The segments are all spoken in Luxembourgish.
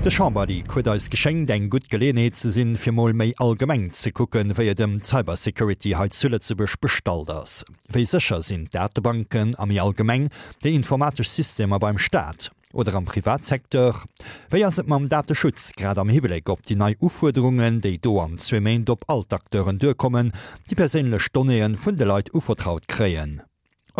De Chamberleak huet eis geschéngt eng gutt Geleeënheet ze sinn, fir mol méi allgemeng ze kucken, wéi et ëm d'Cybersecurity hei zu Lëtzebuerg bestallt ass. Wéi sécher sinn d'Datebanken a méi allgemeng déi informatesch Systemer beim Staat oder am Privatsecteur? Wéi ass et mam Dateschutz, grad am Hibléck op déi nei Ufuerderungen, déi do an zwee Méint op all d'Acteuren duerkommen, déi perséinlech Donnéeë vun de Leit uvertraut kréien?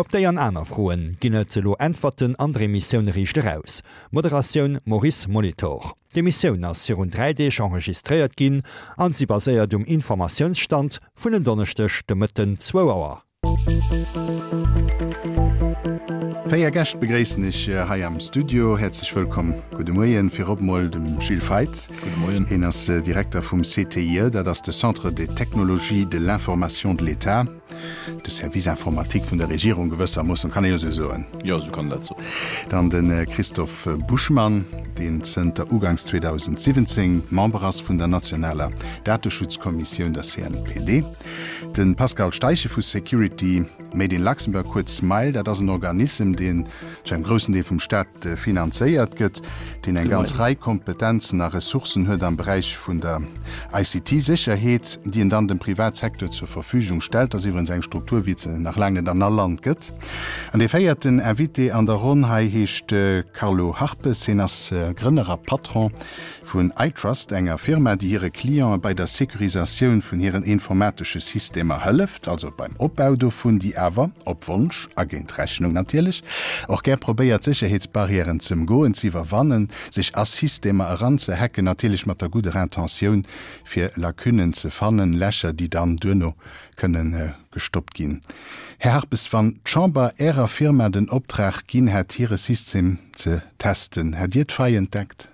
Op déi an aner Froen ginn et elo Äntwerten an der Emissioun Riicht Eraus. Moderatioun, Maurice Molitor. D'Emissioun ass virun 3 Deeg enregistréiert ginn an si baséiert um Informatiounsstand vun en Donneschdeg de Mëtten zwou Auer. Véier Gäscht begréissen ech hei am Studio. Häerzlech wëllkomm, gudde Moien. Virop mol dem Gilles Feith. Gudde Moien. Hien ass Direkter vum CTIE, dat ass de Centre des technologies de l'information de l'État. De Service informatique vun der Regierung gewëssermoossen, kann ee jo esou soen. Jo, esou kann een dat soen. Dann de Christophe Buschmann, deen zënter uganks 2017 Member ass vun der nationaler Dateschutzkommissioun, der CNPD. De Pascal Steichen vu Security Made in Luxembourg, kuerz SMILE. Dat ass en Organissem, deen zu engem groussen Deel vum Staat finanzéiert gëtt, deen eng ganz Rei Kompetenzen a Ressourcen huet am Beräich vun der ICT-Sécherheet, déi en dann dem Privatsecteur zur Verfügung stellt. Dat ass iwwerens eng Struktur, wéi et se nach laang net an all Land gëtt. An dee véierten Invité an der Ronn hei heescht Carlo Harpes. Hien ass Grënner a Patron Vun iTrust, enger Firma, déi hire Cliente bei der Securisatioun vun hiren informatesche Systemer hëlleft, also beim Opbau dovun, déi awer, op Wonsch a géint Rechnung natierlech, och gär probéiert Sécherheetsbarrièren z'ëmgoen, z'iwwerwannen, sech a Systemer eranzehacken, natierlech mat der gudder Intentioun, fir Lacunnen ze fannen, Lächer, déi dann duerno kënne gestoppt ginn. Här Harpes, wann d'Chamber Ärer Firma den Optrag ginn hätt, hire System ze testen, hätt Dir d'Faille entdeckt?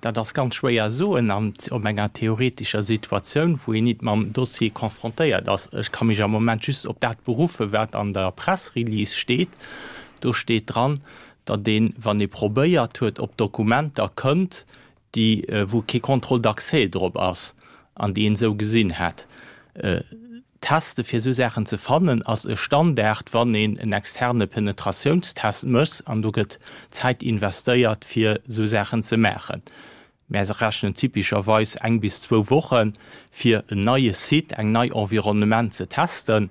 Dat ass ganz schwéier soen an op enger theoretescher Situatioun, wou een nit mam Dossier confrontéiert ass. Ech ka mech am Moment just op dat beruffen, wat an der Pressrelease steet. Do steet dran, datt een, wann ee probéiert huet, op Dokumenter kënnt, déi, wou kee Contrôle d'accès drop ass an déi een esou gesinn hätt. Teste fir esou Saachen ze fannen ass e Standard, wann een en externe Penetratiounstest mécht, an do gëtt Zäit investéiert fir esou Saachen ze maachen. Mär rechnen typescherweis eng bis zwou Woche fir en neie Site, eng nei Environnement ze testen,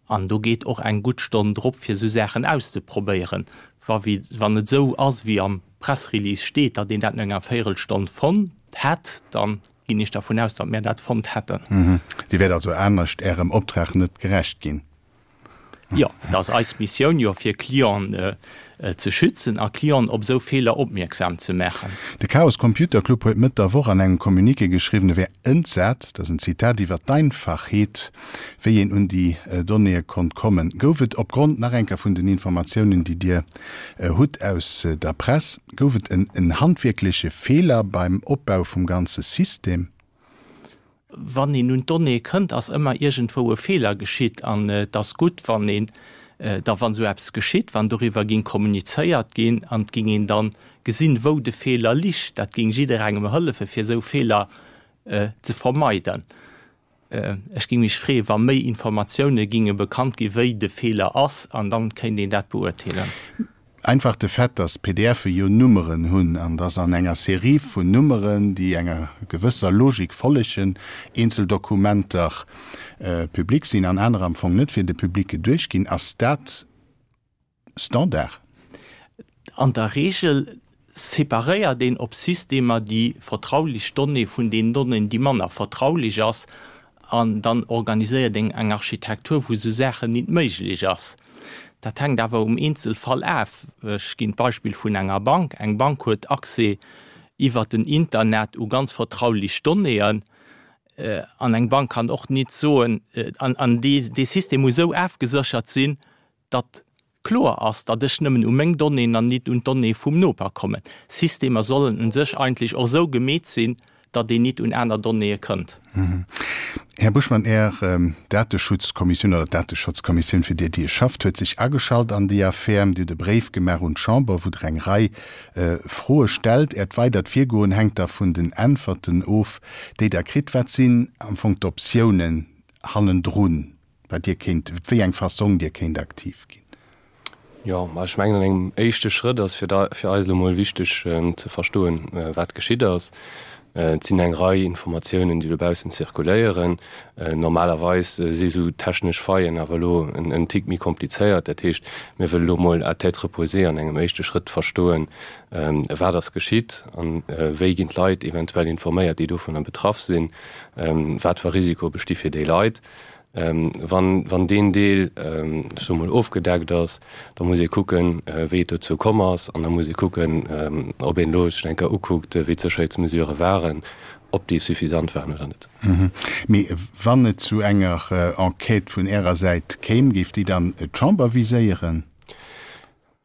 an do geet och eng gutt Stonn drop fir esou Saachen auszeprobéieren. Wa wann et esou ass wéi am Pressrelease steet, datt een dat no enger Véierelstonn fonnt hätt, dann Ginn ech dervun aus, datt mär dat fonnt hätten. Dir wäert also anescht Ärem Optrag net gerecht ginn? Jo, et ass eis Missioun jo, fir Clienten ze schützen a Clienten op esou Feeler opmierksam ze maachen. De Chaos Computer Club huet Mëtt der Woch an engem Communiqué geschriwwen, e wär entsat, dat ass en Zitat, iwwer d'Einfachheet, wéi een un déi Donnéeë konnt kommen. Gouf et opgrond nach eng Kéier vun den Informatiounen, déi Dir hutt aus der Press, Gouf et en handwierkleche Feeler beim Opbau vum ganze System? Wann een un d'Donnéeë kënnt, ass ëmmer iergendwou e Feeler geschitt. An et ass gutt, wann een da, wann esou eppes geschitt, wann doriwwer ging kommunizéiert ginn an et ging een dann gesinn, wou de Feeler lich. Dat ging jidderengem hëllefen, fir esou Feeler ze vermeiden. Ech géing mech freeën, wa méi Informatioune ginge bekannt ginn, wéi de Feeler ass, an dann kéint een dat beurteelen. Einfach de Fait, dass PDFe jo Nummeren hunn an dass an enger Serie vun Nummeren, déi enger gewësser Logik follegen, eenzel Dokumenter public sinn an anerer am Fong net fir de Public geduecht ginn, ass dat Standard? An der Reegel separéiert een op Systemer déi vertraulich Donnée vun den Donnéeën, déi manner vertraulich ass, an dann organiséiert een eng Architektur, wou esou Saachen nit méiglech ass. Dat hänkt awer um Eenzelfall af. Ech ginn d'Beispill vun enger Bank. Eng Bank huet Accès iwwert den Internet u ganz vertraulich Donnéeën. An eng Bank kann och nit soen, an dee System muss esou afgeséchert sinn, datt kloer ass, datt ech nëmmen u meng Donnéeën an nit un d'Donnéeë vum Noper kommen. Systemer sollen u sech eigentlech och esou gemeet sinn, datt een nit un aner Donnéeë kënnt. Här Buschmann, Är Dateschutzkommissioun oder d'Dateschotzkommissioun, fir déi Dir schafft, huet sech ageschalt an déi Affär. Dir hutt e Bréif gemaach un d'Chamber, wou Der eng Rei Froe stellt. Äert weidert Virgoen hänkt da vun den Äntwerten of, déi Der kritt. Wat sinn am Fong d'Optiounen hannendrun? Wat Dir kéint, op wéi eng Fassong Dir kéint aktiv ginn. Jo, ma ech mengen an engem éischte Schrëtt ass fir fir eis elo mol wichteg ze verstoen, wat geschitt ass. Et sinn eng Rei Informatiounen, déi dobaussen zirkuléieren. Normalerweis si sou technesch Faillen awer elo en Tick méi komplizéiert. Dat heescht, mir wëlle elo mol à tête reposée an engem éischte Schrëtt verstoen, wat ass geschitt an wéi ginn d'Leit eventuell informéiert, déi dovunner betraff sinn, wat fir Risiko besti fir déi Leit. Wann, wann deen Deel, ech soe mol, ofgedeckt ass, da muss ee kucken, wéi et dozou komm ass. An da muss ee kucken, ob een elo sech eng Kéier ukuckt, wéi d'Sécherheetsmesurë waren, ob déi suffisant waren oder net. Mee wann et zu enger Enquête vun Ärer Säit kéim, géif déi dann d'Chamber viséieren?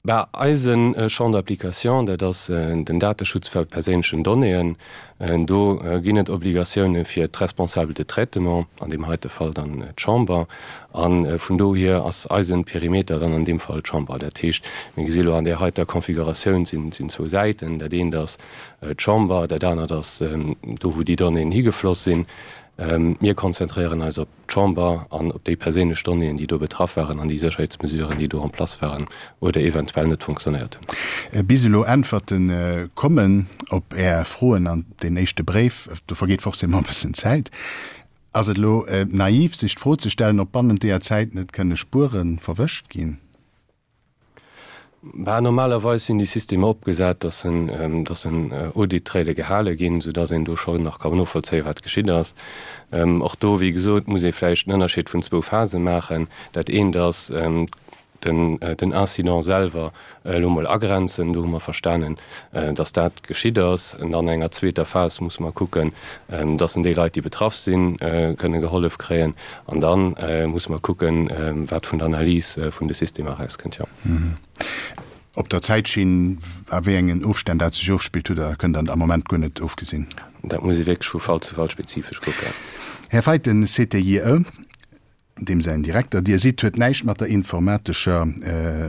Bah, eise Champ d'application, dat ass den Dateschutz vu perséinlechen Donnéeën. Do ginn et Obligatioune fir d'Responsables de traitement, an deem heite Fall dann d'Chamber. A vun dohier ass eise Perimeter dann an deem Fall d'Chamber. Dat heescht, mir gesi lo an där heiter Configuratioun sinn zwou Säiten. Dat eent ass d'Chamber, dat anert ass do, wou déi Donnéeën higefloss sinn. Mir konzentréieren eis op d'Chamber an op déi perséinlech Donnéeën, déi do betraff waren an déi Sécherheetsmesuren, déi do en place waren oder eventuell net fonctionnéiert hunn. Bis elo Äntwerte kommen op Är Froen an deen éischte Bréif, do vergeet forcément e bëssen Zäit. Ass et elo naiv, sech d'Fro ze stellen, ob bannent deeër Zäit net kënne Spuere verwëscht ginn? Bah, normalerweis sinn déi Systemer opgesat, dass en, dass en Audit-Traile gehale ginn, soudass een do schonn nach kann novollzéien, wat geschitt ass. Och do, wéi gesot, muss ee vläicht en Ënnerscheed vun zwou Phase maachen. Dat eent ass den, den Incident selwer elo mol agrenzen. Do hu mer verstanen, dass dat geschitt ass. An dann an enger zweeter Phas muss mer kucken, dass en déi Leit, déi betraff sinn, kënne gehollef kréien. An da musse mer kucken, wat vun der Analys vun de Systemer erauskënnt, jo. Op der Zäitschinn, a wéi engen Ofstänn dat sech ofspillt, hutt Der, kënnt Der am Moment guer net ofgesinn. Dat muss ee wierklech vu Fall zu Fall spezifesch kucken. Här Feidt, den CTIE, deem säin Direkter Dir sidd, huet näischt mat der informatescher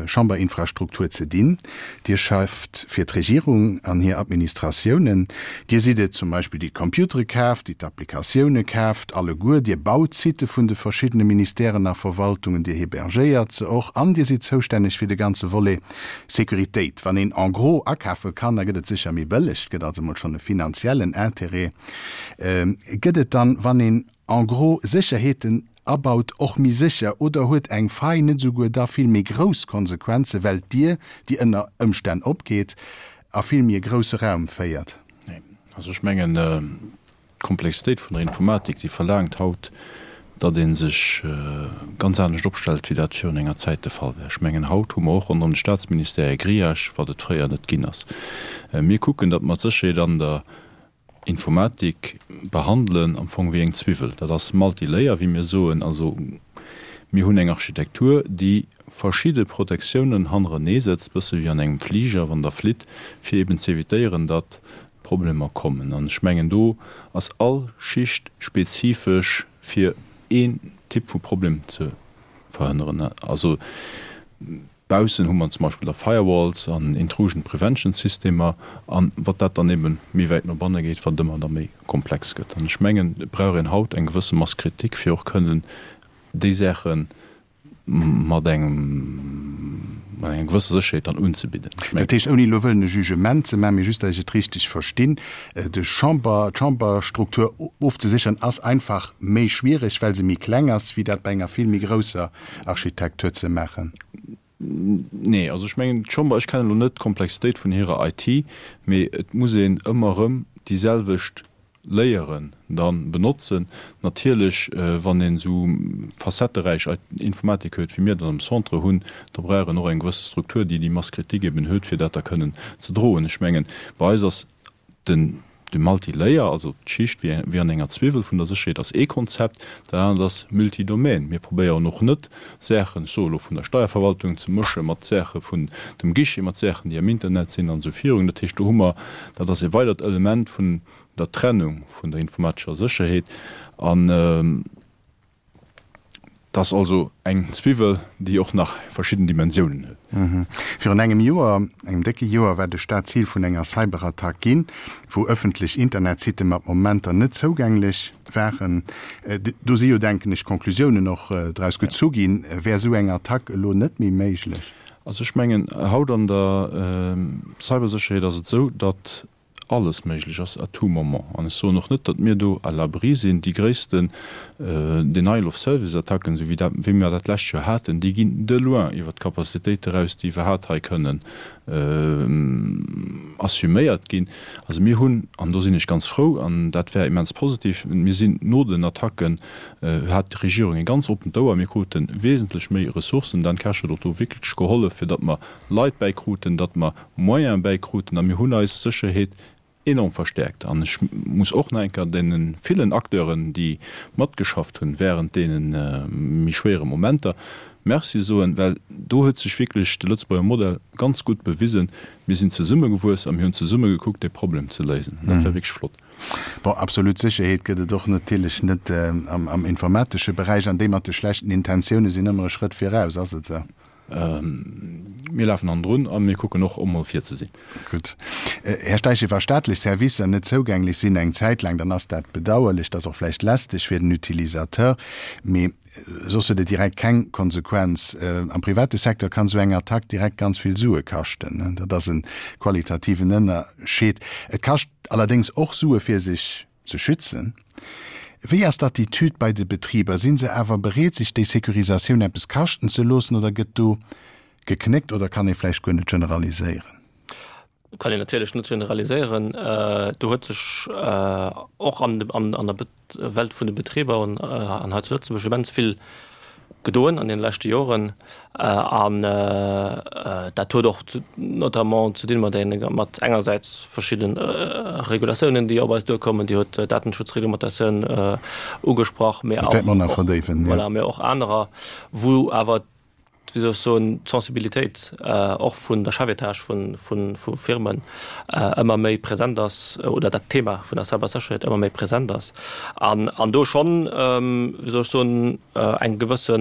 Chamberinfrastruktur ze dinn. Dir schafft fir d'Regierung an hir Administratiounen. Dir sidd et zum Beispill, déi d'Computere kaaft, déi d'Applikatioune kaaft, alleguer. Dir baut d'Sitte vun de verschiddene Ministèren a Verwaltungen, Dir hébergéiert se och an Dir sidd zoustänneg fir de ganze Volet Sécuritéit. Wann een en gros akafe kann, da gëtt et sécher méi bëlleg. Et gëtt also emol schonn e finanziellen Intérêt. Gëtt et dann, wann een en gros Sécherheeten abaut, och méi sécher oder huet eng Faille net esouguer da vill méi grouss Konsequenzen, well d'Dier, déi ënner Ëmstänn opgeet, a vill méi e grousse Raum féiert? Nee. Also ech mengen, d'Komplexitéit vun der Informatik, déi verlaangt haut, datt ee sech ganz anescht opstellt, wéi dat virun enger Zäit de Fall war. Ech mengen, haut hu mer och ronderëm de Statsministère e Grillage, wat et fréier net ginn ass. Mir kucken, datt mer d'Sécherheet an der Informatik behandelen am Fong wéi eng Zwiwwel. Dat ass multilayer, wéi mir soen. Also mir hunn eng Architektur, déi verschidde Protektiounen hannerenee setzt, bësse wéi an engem Fliger, wann Der flitt, fir eben z'evitéieren, datt Problemer kommen. An ech mengen, do ass all Schicht spezifesch fir een Typ vu Problem ze verhënneren. Also. Baussen hu mer zum Beispill da Firewalls an Intrusion Prevention Systemer an wat dat dann eben méi wäit no banne geet, wat et ëmmer da méi komplex gëtt. An ech mengen, et brauch een haut eng gewësse Masse critique, fir och kënnen déi Saache mat engem, mat enger gewësser Sécherheet dann unzebidden. Ech mengen. Dat heescht, ouni elo wëllen e Jugement ze maachen, mee just, datt ech et richteg verstinn, de Chamber, d'Chamberstruktur ofzesécheren ass einfach méi schwiereg, well se méi kleng ass, wéi dat bei enger vill méi grousser Architektur ze maachen? Nee, also ech mengen d'Chamber, ech kennen elo net d'Komplexitéit vun hirer IT, mee et muss een ëmmer erëm déi selwecht Layeren da benotzen. Natierlech, wann een esou facetteräich Informatik huet, wéi mir dat am Centre hunn, da brauch een och eng gewësse Struktur, déi déi Masse critique eben huet, fir dat da kënnen ze droen. Ech mengen, bei eis ass Den de Multilayer, also d'Schicht wéi wéi an enger Zwiwwel vun der Sécherheet ass ee Konzept, dat anert ass Multidomaine. Mir probéieren och net, Saachen, ech soe elo vun der Steierverwaltung, ze mësche mat Saache vun dem Guichet, mat Saachen, déi am Internet sinn an esou virun. Dat heescht, do hu mer, dat ass e weidert Element vun der Trennung vun der informatescher Sécherheet an, Et ass also eng Zwiwwel, déi och nach verschidden Dimensiounen huet. Virun engem Joer, engem décke Joer, war de Staat Zil vun enger Cyberattack ginn, wou ëffentlech Internetsitte mat Momenter net zougänglech waren. Do si jo, denken ech, Conclusiounen och draus gezu ginn. Wär esou eng Attack elo net méi méiglech? Also ech mengen, haut an der Cybersécherheet ass et esou, datt alles méiglech ass à tout moment. An ech soen och net, datt mir do à l'abri sinn. Déi gréissten Denial of Service Attacken, esou wéi dat, wéi mir dat d'lescht Joer haten, déi ginn de loin iwwert d'Capacitéit eraus, déi iwwerhaapt hei kënnen assuméiert ginn. Also mir hunn, an do sinn ech ganz frou, an dat war immens positiv, mir sinn no den Attacken, hat d'Regierung e ganz oppent Ouer, mir krute wesentlech méi Ressourcen. Dan Kersch huet och do wierklech gehollef, fir datt mer Leit bäikruten, datt mer Moyene bäikruten a mir hunn eis Sécherheet enorm verstäerkt. An ech muss och nach eng Kéier deene villen Acteuren, déi matgeschafft hunn während deene méi schwéiere Momenter, Merci soen, well do huet sech wierklech de Lëtzebuerger Modell ganz gutt bewisen. Mir sinn zesummegewuess a mir hunn zesumme gekuckt, dee Problem ze léisen. Dat war wierklech flott. Bon, absolut Sécherheet gëtt et och natierlech net am informatesche Beräich, an déi mat de schlechten Intentioune sinn ëmmer e Schrëtt viraus, ass et esou? Mir lafen hannendrun a mir kucken och emol vir ze sinn. Gutt. Här Steichen, wa staatlech Servicer net zougänglech sinn eng Zäit laang, dann ass dat bedauerlech, dat ass och vläicht lästeg fir den Utilisateur, mee soss huet et direkt keng Konsequenz. Am private Secteur kann esou eng Attack direkt ganz vill Sue kaschten. Dat ass e qualitativen Ënnerscheed. Et kascht allerdéngs och Sue fir sech ze schützen. Wéi ass d'Attitüd bei de Betriber? Sinn se awer bereet, sech déi Securisatioun eppes kaschten ze loossen oder gëtt do geknéckt oder kann ee vläicht guer net generaliséieren? Kann een natierlech net generaliséieren. Do huet sech och an der Welt vun de Betriber an hei zu Lëtzebuerg immens vill gedoen an den leschte Joren. An dat huet och notamment ze dinn mat mat engersäits verschidde Regulatiounen, déi op eis duerkommen. Dir hutt d'Datenschutzreglementatioun ugesprach, mee och, voilà, mee och anerer, wou awer, wéi soll ech soen, d'Sensibilitéit och vun der Chefetage vu Firmen ëmmer méi present ass oder dat Thema vun der Cybersécherheet ëmmer méi present ass an do schonn, wéi soll ech soen, eng gewësse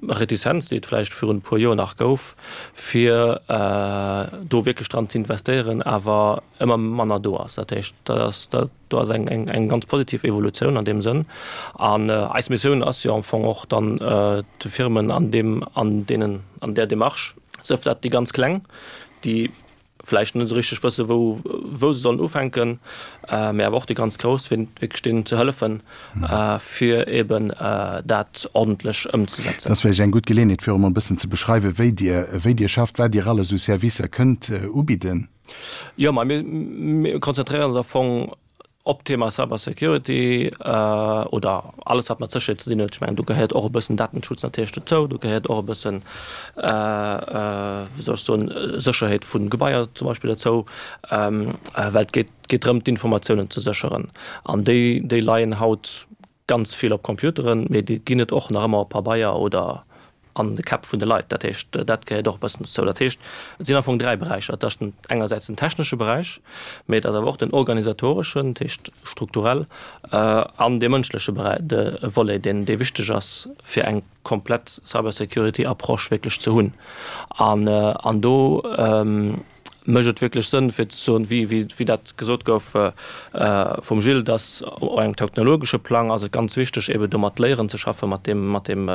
Retizenz, déi et vläicht virun e puer Joer nach gouf, fir do wierklech dran ze investéieren, awer ëmmer manner do ass. Dat heescht, dat ass, dat do ass eng, eng, eng ganz positiv Evolutioun an deem Sënn. An eis Missioun ass jo am Fong och dann de Firmen an deem, an deenen, an där Démarche, sief dat déi ganz Kleng, déi vläicht net esou richteg wësse wou, wou se sollen ufänken, mä awer och déi ganz Grouss, fir wierklech deenen ze hëllefen, fir eben dat ordentlech ëmzesetzen. Dat ass vläicht eng gutt Geleeënheet, fir och emol e bëssen ze beschreiwen, wéi Dir, wéi Dir schafft, wat Dir alles u Servicer kënnt ubidden. Jo, ma mir, mir konzentréieren ons am Fong op d'Thema Cybersecurity oder alles wat mat Sécherheet ze dinn huet. Ech mengen do gehéiert och e bëssen Datenschutz natierlech dozou, do gehéiert och e bëssen, wéi soll ech soen, Sécherheet vu Gebaier zum Beispill dozou, well et geet geet drëm d'Informatiounen ze sécheren an déi déi leien haut ganz vill op Computeren, mee déi ginn et och nach ëmmer op Pabeier oder an de Käpp vun de Leit. Dat heescht, dat gehéiert och e bëssen dozou. Dat heescht, et sinn am Fong 3 Beräicher. Et ass den engersäits den technesche Beräich, mee et ass awer och den organisatoreschen, dat heescht strukturell, an dee mënschleche Beräich, de Volet, deen dee wichteg ass, fir eng komplett Cybersecurity-Approche wierklech ze hunn. An an do mécht et wierklech Sënn, fir ze soen, wéi, wéi, wéi dat gesot gouf vum Gilles, dass op engem technologesche Plang ass et ganz wichteg, eeben do mat Léieren ze schaffen, mat deem, mat deem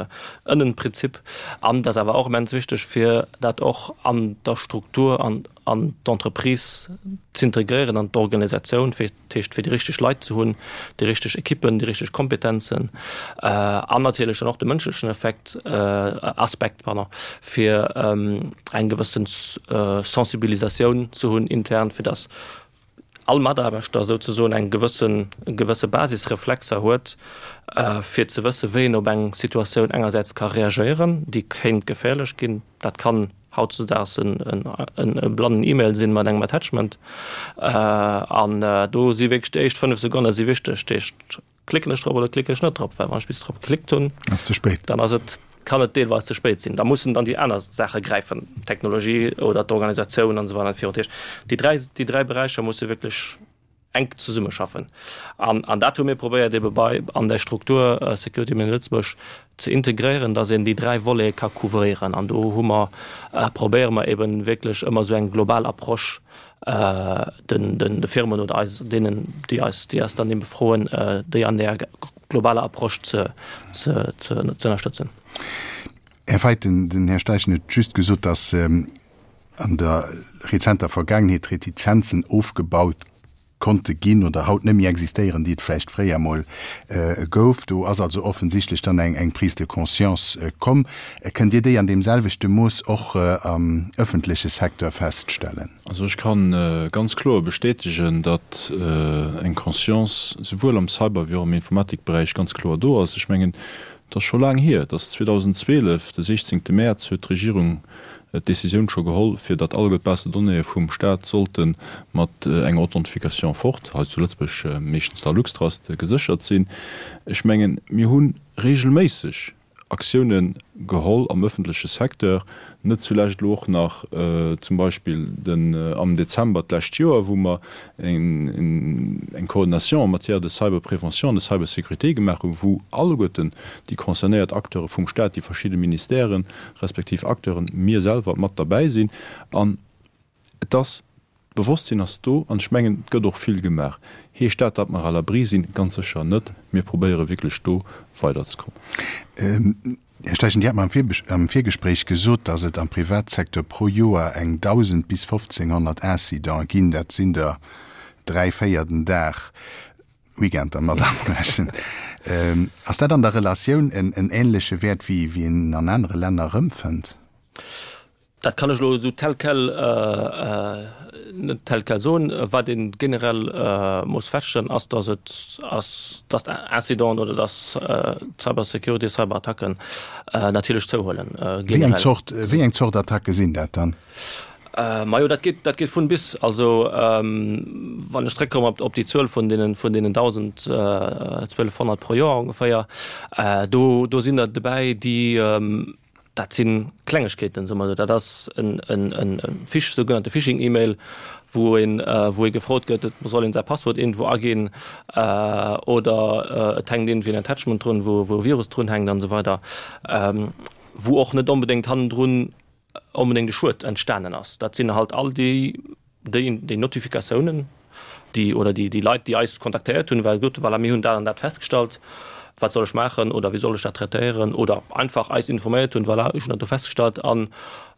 Ënnenprinzip. An et ass awer och immens wichteg, fir dat och an der Struktur an an d'Entreprise z'integréieren, an d'Organisatioun, fir Dat heescht, fir déi richteg Leit ze hunn, déi richteg Ekippen, déi richteg Kompetenzen an natierlech dann och de mënschlechen Effekt, Aspekt, pardon, fir eng gewëssen Sensibilisatioun ze hunn intern, fir datt all Mataarbechter souzesoen eng gewëssen, gewësse Basisreflexer huet, fir ze wësse wéi en op eng Situatioun engersäits ka reagéieren, déi kéint geféierlech ginn. Dat kann hautzedaags en blannen E-Mail sinn mat engem Attachment an do si wierklech déi éischt 5 Sekonne si wichteg. Dat heescht, klicken ech drop oder klicken ech net drop? Well wann ech bis drop geklickt hunn, Ass ze spéit. dann ass et, kann et deelweis ze spéit sinn. Da mussen dann déi aner Saache gräifen, d'Technologie oder d'Organisatioun an esou weider an esou virun. Dat heescht, déi dräi, déi dräi Beräicher musse wierklech enk zesummeschaffen. An, an dat hu mir probéiert ebe bei an der Struktur Security Made in Lëtzebuerg ze integréieren, dass een déi dräi Volete ka couvréieren. An do hu mer, probéiere mer eben wierklech ëmmer esou eng global Approche den, den, de Firmen oder eis, deenen, déi eis, déi eis dann ebe froen, déi an där globaler Approche ze, ze, ze, ze ënnerstëtzen. Här Feidt, den Här Steichen huet just gesot, datt an der rezenter Vergaangenheet Retizenzen ofgebaut konnte ginn oder haut net méi existéieren, déi et vläicht fréier emol gouf. Do ass also offensichtlech dann eng Prise de conscience komm. Kënnt Dir déi an deem selwechte Mooss och am öffentleche Secteur feststellen? Also ech ka ganz kloer bestätegen, datt eng Conscience souwuel am Cyber wéi och am Informatikberäich ganz kloer do ass. Ech mengen, et ass scho laang hier, et ass 2012, de 16 Mäerz huet d'Regierung d'Décisioun scho geholl, fir datt alleguer d'Base de donnéeë vum Staat sollte mat enger Authentification forte, hei zu Lëtzebuerg meeschtens der Luxtrust, geséchert sinn. Ech mengen, mir hu regelméisseg Aktioune geholl am ëffentleche Secteur, net zulescht elo och nach zum Beispill den am Dezember d'lescht Joer, wou mer eng Coordination en matière de cyberprévention an de cybersécurité gemaach hunn, wou alleguerten déi concernéiert Acteure vum Staat, déi verschidde Ministèren respektiv Acteuren, mir selwer mat derbäi sinn. An et ass, d'Bewosstsinn ass do an ech mengen, et gëtt och vill gemaach. Heescht dat, datt mer à l'abri sinn? Ganz sécher net. Mir probéiere wierklech do weiderzekommen. Här Steichen, Dir hat mer am Virgespréich gesot, datt et am Privatsecteur pro Joer eng 1.000 bis 1.500 Incidente ginn. Dat sinn der dräi, véier den Dag, Weekender mat agerechent. Ass dat an der Relatioun en änleche Wäert, wéi een en an anere Länner erëmfënnt? Dat kann ech elo esou tel quel net tel quel soen. Wat ee generell muss feststellen, ass, datt et ass, datt Incidenten oder datt Cybersecurity, Cyberattacken natierlech zouhuelen. Wéi eng Zort, wéi eng Zort Attacke sinn dat dann? Majo, dat geet, dat geet vun bis. Also wann ech zréckkommen op, op déi Zuel vun deenen, vun deenen 1.000, 1.200 pro Joer ongeféier, do, do sinn der dobäi, déi, Dat si Klengegkeeten, soe mer esou. Dat ass en Phish, sougenannte Phishing-E-Mail, wou een, wou ee gefrot gëtt, et soll een säi Passwuert iergendwou aginn oder et hänkt iergendwéi en Attachment drun, wou e Virus drun hänkt an esou weider, wou och net onbedéngt hannendrun onbedéngt e Schued entstanen ass. Dat sinn halt all déi, déi, déi Notifikatiounen, déi, oder déi, déi Leit, déi eis kontaktéiert hunn, well gesot hunn, voilà, mir hunn dat an dat festgestallt, wat soll ech maachen oder wéi soll ech dat traitéieren oder einfach eis informéiert hunn, voilà, ech hunn dat do festgestallt an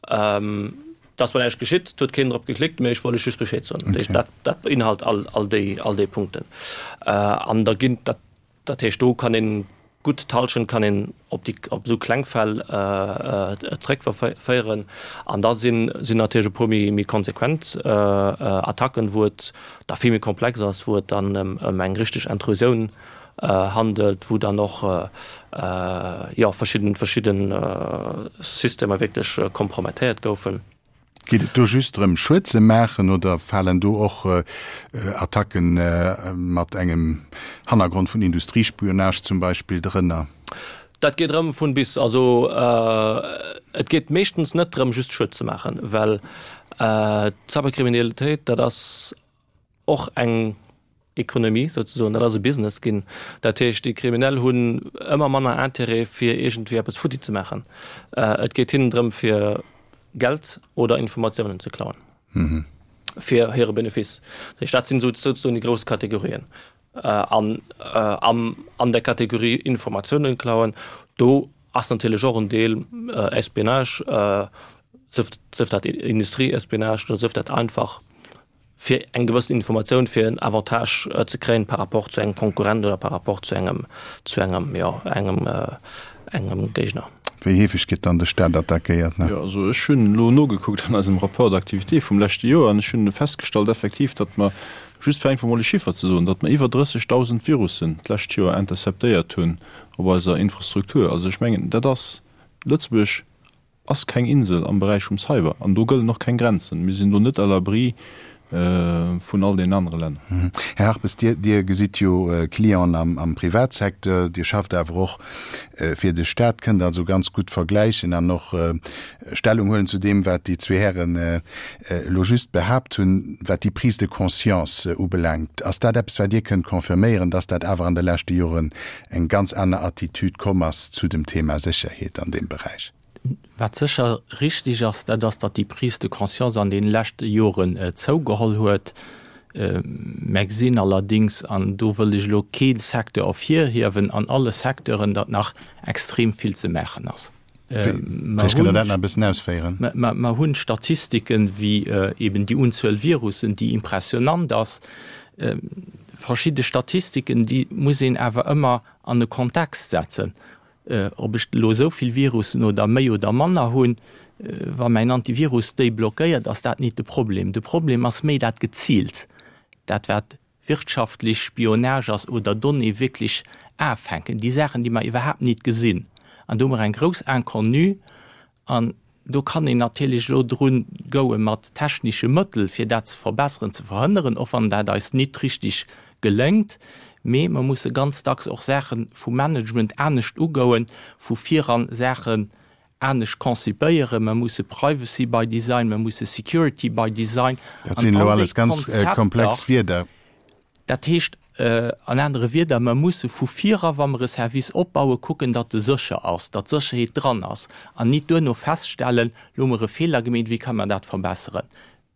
et ass zwar näischt geschitt, et huet keen drop geklickt, mee ech wollt lech just Bescheed soen. Dat heescht, dat, dat beinhalt all, all déi, all déi Punkten. An da ginn, dat Dat heescht, do kann een gutt d'Hallschent kann een op déi, op esou kleng Fäll zeréckverféieren. An da sinn, sinn natierlech e puer méi, méi konsequent Attacken, wou et da vill méi komplex ass, wou et dann ëm, ëm eng richteg Intrusioun handelt, wou dann och, jo, verschidden, verschidden Systemer wierklech kompromettéiert goufen. Geet et do just drëm Schued ze maachen oder falen do och Attacken mat engem Hannergrond vun Industriespionage zum Beispill drënner? Dat geet erëm vun bis. Also et geet meeschtens net drëm just Schued ze maachen, well d'Cyberkriminalitéit dat ass och eng Ekonomie souzesoen, dat ass e Business ginn. Dat heescht, déi Kriminell hunn ëmmer manner Intérêt fir iergendwéi eppes futti ze maachen. Et geet hinnen drëm fir Geld oder Informatiounen ze klauen fir hire Benefice. Dat heescht, dat sinn souzesoen déi grouss Kategorien. An an der Kategorie Informatiounen klauen, do ass natierlech och en Deel Espionnage, sëf dat Industrieespionnage oder sëf dat einfach fir eng gewëssen Informatioun, fir en Avantage ze kréien par rapport zu engem Konkurrent oder par rapport zu engem, zu engem, jo, engem, engem Géigner. Wéi heefeg gëtt dann de Staat attackéiert? Jo, also ech hunn elo nogekuckt an eisem Rapport d'activité vum leschte Joer an ech hunn festgestallt effektiv, datt mer, just fir einfach emol e Chiffer ze soen, datt mer iwwer 30.000 Virussen d'lescht Joer interceptéiert hunn op eiser Infrastruktur. Also ech mengen, dat ass Lëtzebuerg ass keng Insel am Beräich vum Cyber an do gëllen och keng Grenzen. Mir sinn do net à l'abri vun all deenen anere Länner. Här Harpes, Dir, Dir gesitt jo Clienten am Privatsecteur, Dir schafft awer och fir de Staat, kënnt also ganz gutt vergläichen an och Stellung huelen zu deem, wat déi zwee Hären elo just behaapt hunn, wat déi Prise de conscience ubelaangt. Ass dat eppes, wat Dir kënnt confirméieren, dass dat awer an de leschte Joren eng ganz aner Attitüd komm ass zu dem Thema Sécherheet an deem Beräich. Wat sécher richtig ass, dat ass, datt déi Prise de conscience an deene leschte Joren zougeholl huet. Mer gesinn allerdings, an do wëll ech elo kee Secteur ervirhiewen, an alle Secteuren, datt nach extrem vill ze maachen ass. Vläicht kënnt Der dat nach e bëssen ausféieren. Mer hunn Statistiken, wéi eben déi Unzuel Virussen, déi impressionant ass. Verschidde Statistiken, déi muss een awer ëmmer an e Kontext setzen. Ob ech elo esou vill Virussen oder méi oder manner hunn, wa mäin Antivirus déi blockéiert, ass dat nit de Problem. De Problem ass méi dat Geziilt, dat wat wirtschaftlech Spionage ass oder Donnéeë wierklech afänken, déi Saachen, déi mer iwwerhaapt nit gesinn. An do hu mer eng grouss Inconnue an do kann een natierlech elo drun goue mat technesche Mëttel, fir dat ze verbesseren, ze verhënneren, och wann dat eis nit richtig geléngt. Mee mer musse ganz dacks och Saache vum Management anescht ugouen, vu viran Saachen anescht konzipéieren. Mer musse Privacy by Design, mer musse Security by Design Dat sinn elo alles ganz komplex Wierder. Dat heescht an anere Wierder, mer musse vu viran, wa mer e Service opbauen, kucken, datt e sécher ass, datt Sécherheet dran ass an nit duerno feststellen, elo hu mer e Feeler gemeet, wéi ka mer dat verbesseren.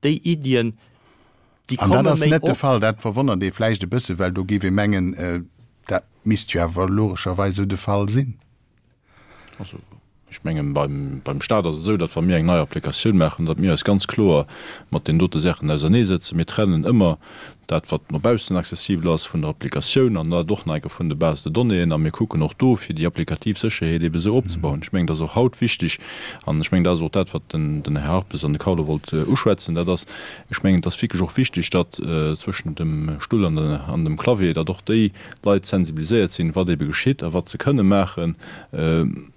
Déi Iddien, déi komme méi op. An dat ass net de Fall. Dat verwonnert ee vläicht e bësse, well do géif ee mengen, dat misst jo awer logescherweis esou de Fall sinn. Also, ech mengen, beim, beim Stat ass et esou, datt wa mir eng nei Applikatioun maachen, datt mir eis ganz kloer mat deenen dote Saachen auserneesetzen. Mir trennen ëmmer dat, wat no baussen accessibel ass vun der Applikatioun an dat och nach eng Kéier vun de Bases de donnéeën. A mir kucken och do, fir déi applikativ Sécherheet eebe esou opzebauen. Ech mengen, dat ass och haut wichtig an ech mengen, dat ass och dat, wat den, den Här Harpes an de Carlo wollt uschwätzen, dat ass, ech mengen, et ass wierklech och wichtig, datt zwëschen dem Stull an de, an dem Clavier, datt och déi Leit sensibiliséiert sinn, wat ebe geschitt a wat se kënne maache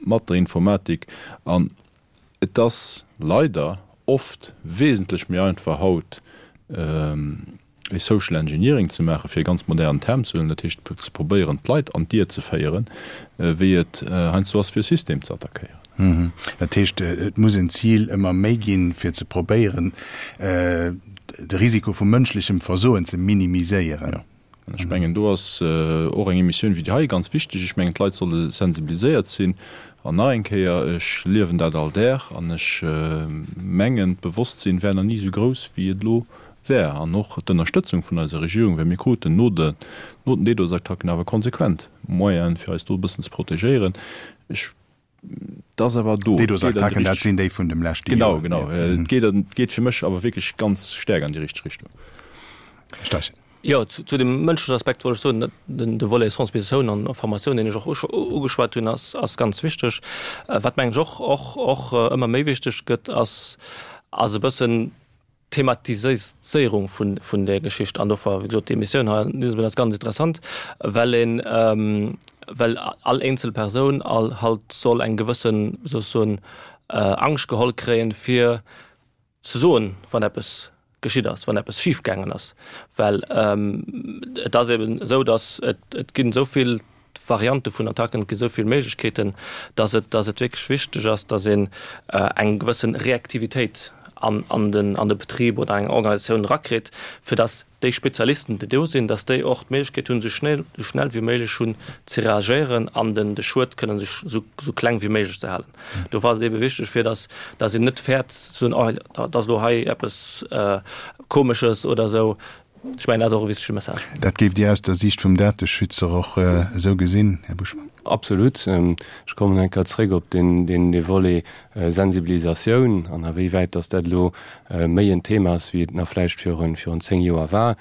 mat der Informatik. An et ass leider oft wesentlech méi einfach haut e Social Engineering ze maachen, fir e ganz modernen Term ze huelen, dat heescht ze probéieren d'Leit an d'Ier ze féieren, wéi et heiansdo ass fir e System ze attackéieren. Dat heescht, et muss en Zil ëmmer méi ginn, fir ze probéieren de Risiko vu mënschlechem Versoen ze minimiséieren. An ech mengen, do ass och eng Emissioun wéi déi hei ganz wichteg. Ech mengen, d'Leit solle sensibiliséiert sinn. An nach eng Kéier, ech liewen dat all Dag an ech mengen, d'Bewosstsinn war nach ni esou grouss, wéi et elo war. An och d'Ënnerstëtzung vun eiser Regierung, well mir kruten no den DDoS-Attacken awer konsequent Moyenen, fir eis do e bëssen ze protegéieren. Ech Et ass awer do. D'DDoS-Attacken, dat sinn déi vun dem leschte Joer. Genau, genau. Et geet, et geet fir mech awer wierklech ganz staark an déi richteg Richtung. Här Steichen. Jo, zu dem mënschlechen Aspekt wollt ech soen, den de Volet Sensibilisatioun an Formatioun, deen ech och ugeschwat hunn, ass, ass ganz wichteg. Wat mengen ech och, och, och ëmmer méi wichteg gëtt, ass, ass e bëssen d'Thematiséierung vun, vun där Geschicht. An do war, wéi gesot, déi Emissioun hei an diesem Sënn ass ganz interessant, well een, well all eenzel Persoun all halt soll eng gewëssen, wéi soll ech soen, Angscht geholl kréien, fir ze soen, wann eppes geschitt ass, wann eppes schif gaangen ass, well et ass eben esou, datt et, et ginn esou vill Variante vun Attacken, et gi esou vill Méiglechkeeten, datt et, datt et wierklech wichteg ass, datt een eng gewësse Reaktivitéit an, an den, an de Betrib oder eng Organisatioun erakritt, fir datt déi Spezialisten, déi do sinn, datt déi och d'Méiglechkeet hunn, esou schnell, esou schnell wéi méiglech hunn ze reagéieren an den, de Schued kënnen esou, esou kleng wéi méiglech ze halen. Do war et ebe wichteg fir dass dass een net fäert ze soen, oh dat ass elo hei eppes Komesches oder esou. Ech mengen dat ass och e wichtege Message. Dat géift Dir aus der Siicht vum Dateschützer och esou gesinn, Här Buschmann? Absolut. Ech kommen eng Kéier zréck op deen dee Volet Sensibilisatioun an a wéi wäit dass dat elo méi en Thema ass, wéi et nach vläicht virun virun 10 Joer war.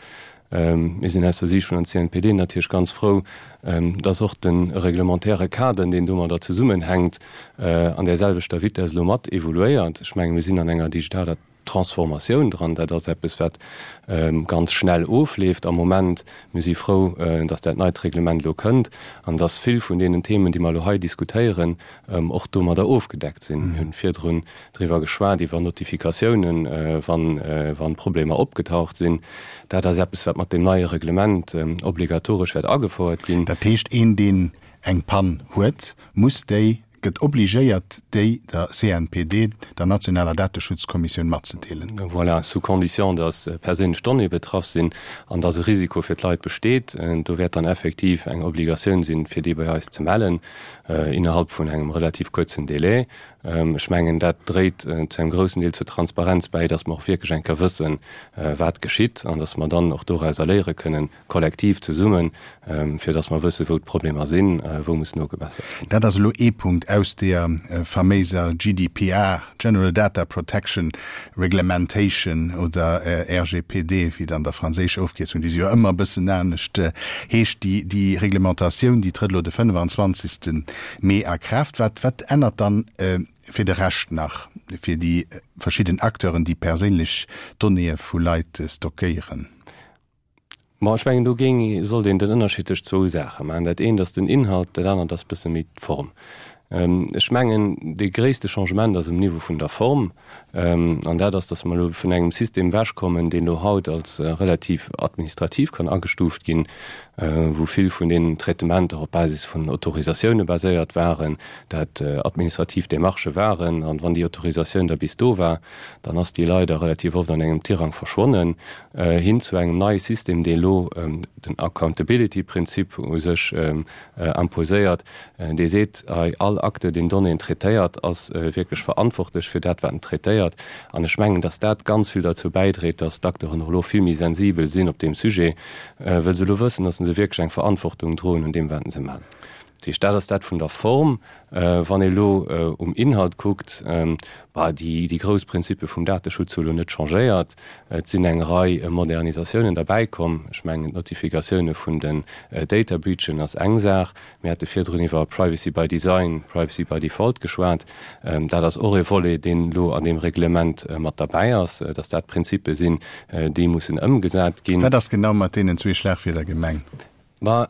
Mir sinn aus der Siicht vun der CNPD natierlech ganz frou, dass och de reglementaire Kader, deen domadder zesummenhänkt, an där selwechter Vitess elo mat evoluéiert. Ech mengen, mir sinn an enger digitaler Transformatioun dran. Dat ass eppes, wat ganz schnell ofleeft am Moment. Mir si frou, dass dat neit Reglement elo kënnt an dass vill vun deenen Themen, déi mer elo hei diskutéieren, och domadder ofgedeckt sinn. Mir hunn virdrun driwwer geschwat, iwwer Notifikatiounen, wann Problemer opgetaucht sinn. Dat ass eppes, wat mat deem neie Reglement obligatoresch wäert agefouert ginn. Dat heescht, een, deen eng Pann huet, muss déi, gëtt obligéiert, déi der CNPD, der nationaler Dateschutzkommissioun, matzedeelen. Voilà, sous condition, dass perséinlech Donnéeë betraff sinn an dass e Risiko fir d'Leit besteet. Do wäert dann effektiv eng Obligatioun sinn, fir déi bei eis ze mellen, innerhalb vun engem relativ kuerzen Délai. Ech mengen, dat dréit zu engem groussen Deel zur Transparenz bäi, dass mer och wierklech eng Kéier wëssen, wat geschitt an dass mer dann och dorauser léiere kënnen, kollektiv zesummen, fir dass mer wëssen, wou d'Problemer sinn, wou muss nogebessert ginn. Dat ass elo ee Punkt aus deeër faméiser GDPR, General Data Protection Reglementation, oder RGPD, wéi et an der franséischer Ofkierzung, déi se jo ëmmer e bëssen anescht heescht. Déi Reglementatioun, déi trëtt elo de 25. Mee a Kraaft. Wat, wat ännert dann fir de Rescht nach, fir déi verschidden Acteuren, déi perséinlech Donnéeë vu Leit stockéieren? Bon, ech mengen, do géing, sollt een den Ënnerscheed tëscht zwou Saache maachen. Dat eent ass den Inhalt, dat anert ass e bësse méi d'Form. Ech mengen, dee gréisste Changement ass um Niveau vun der Form. An dat ass, datt mer elo vun engem System ewechkommen, deen elo haut als relativ administrativ kann agestuuft ginn, wou vill vun deenen Traitementer op Basis vun Autorisatioune baséiert waren, dat administrativ Démarchë waren. An wann déi Autorisatioun da bis do war, dann ass déi leider relativ oft an engem Tirang verschwonnen, hin zu engem neie System, dee elo den Accountability-Prinzip u sech imposéiert, Dee seet, hei all Acteur, deen Donnéeën traitéiert, ass wierklech verantwortlech fir dat, wat en traitéiert. An ech mengen, dass dat ganz vill derzou bäidréit, dass d'Acteuren och elo vill méi sensibel sinn op deem Sujet, wëll se elo wëssen, dass se wierklech eng Verantwortung droen un deem, wat se maachen. Dat heescht, dat ass dat vun der Form. Wann ee elo um Inhalt kuckt, bah, déi grouss Prinzippe vum Dateschutz hu elo net changéiert. Et sinn eng Rei Modernisatiounen derbäikomm. Ech mengen, d'Notifikatioune vun den Data Breachen ass eng Saach. Mir hate virdrun iwwer Privacy by Design, Privacy by Default geschwat. Dat ass och e Volet, deen elo an deem Reglement mat derbäi ass, dass dat Prinzippe sinn, déi mussen ëmgesat ginn. Wat ass genau mat deenen zwee Schlagwierder gemengt? Ma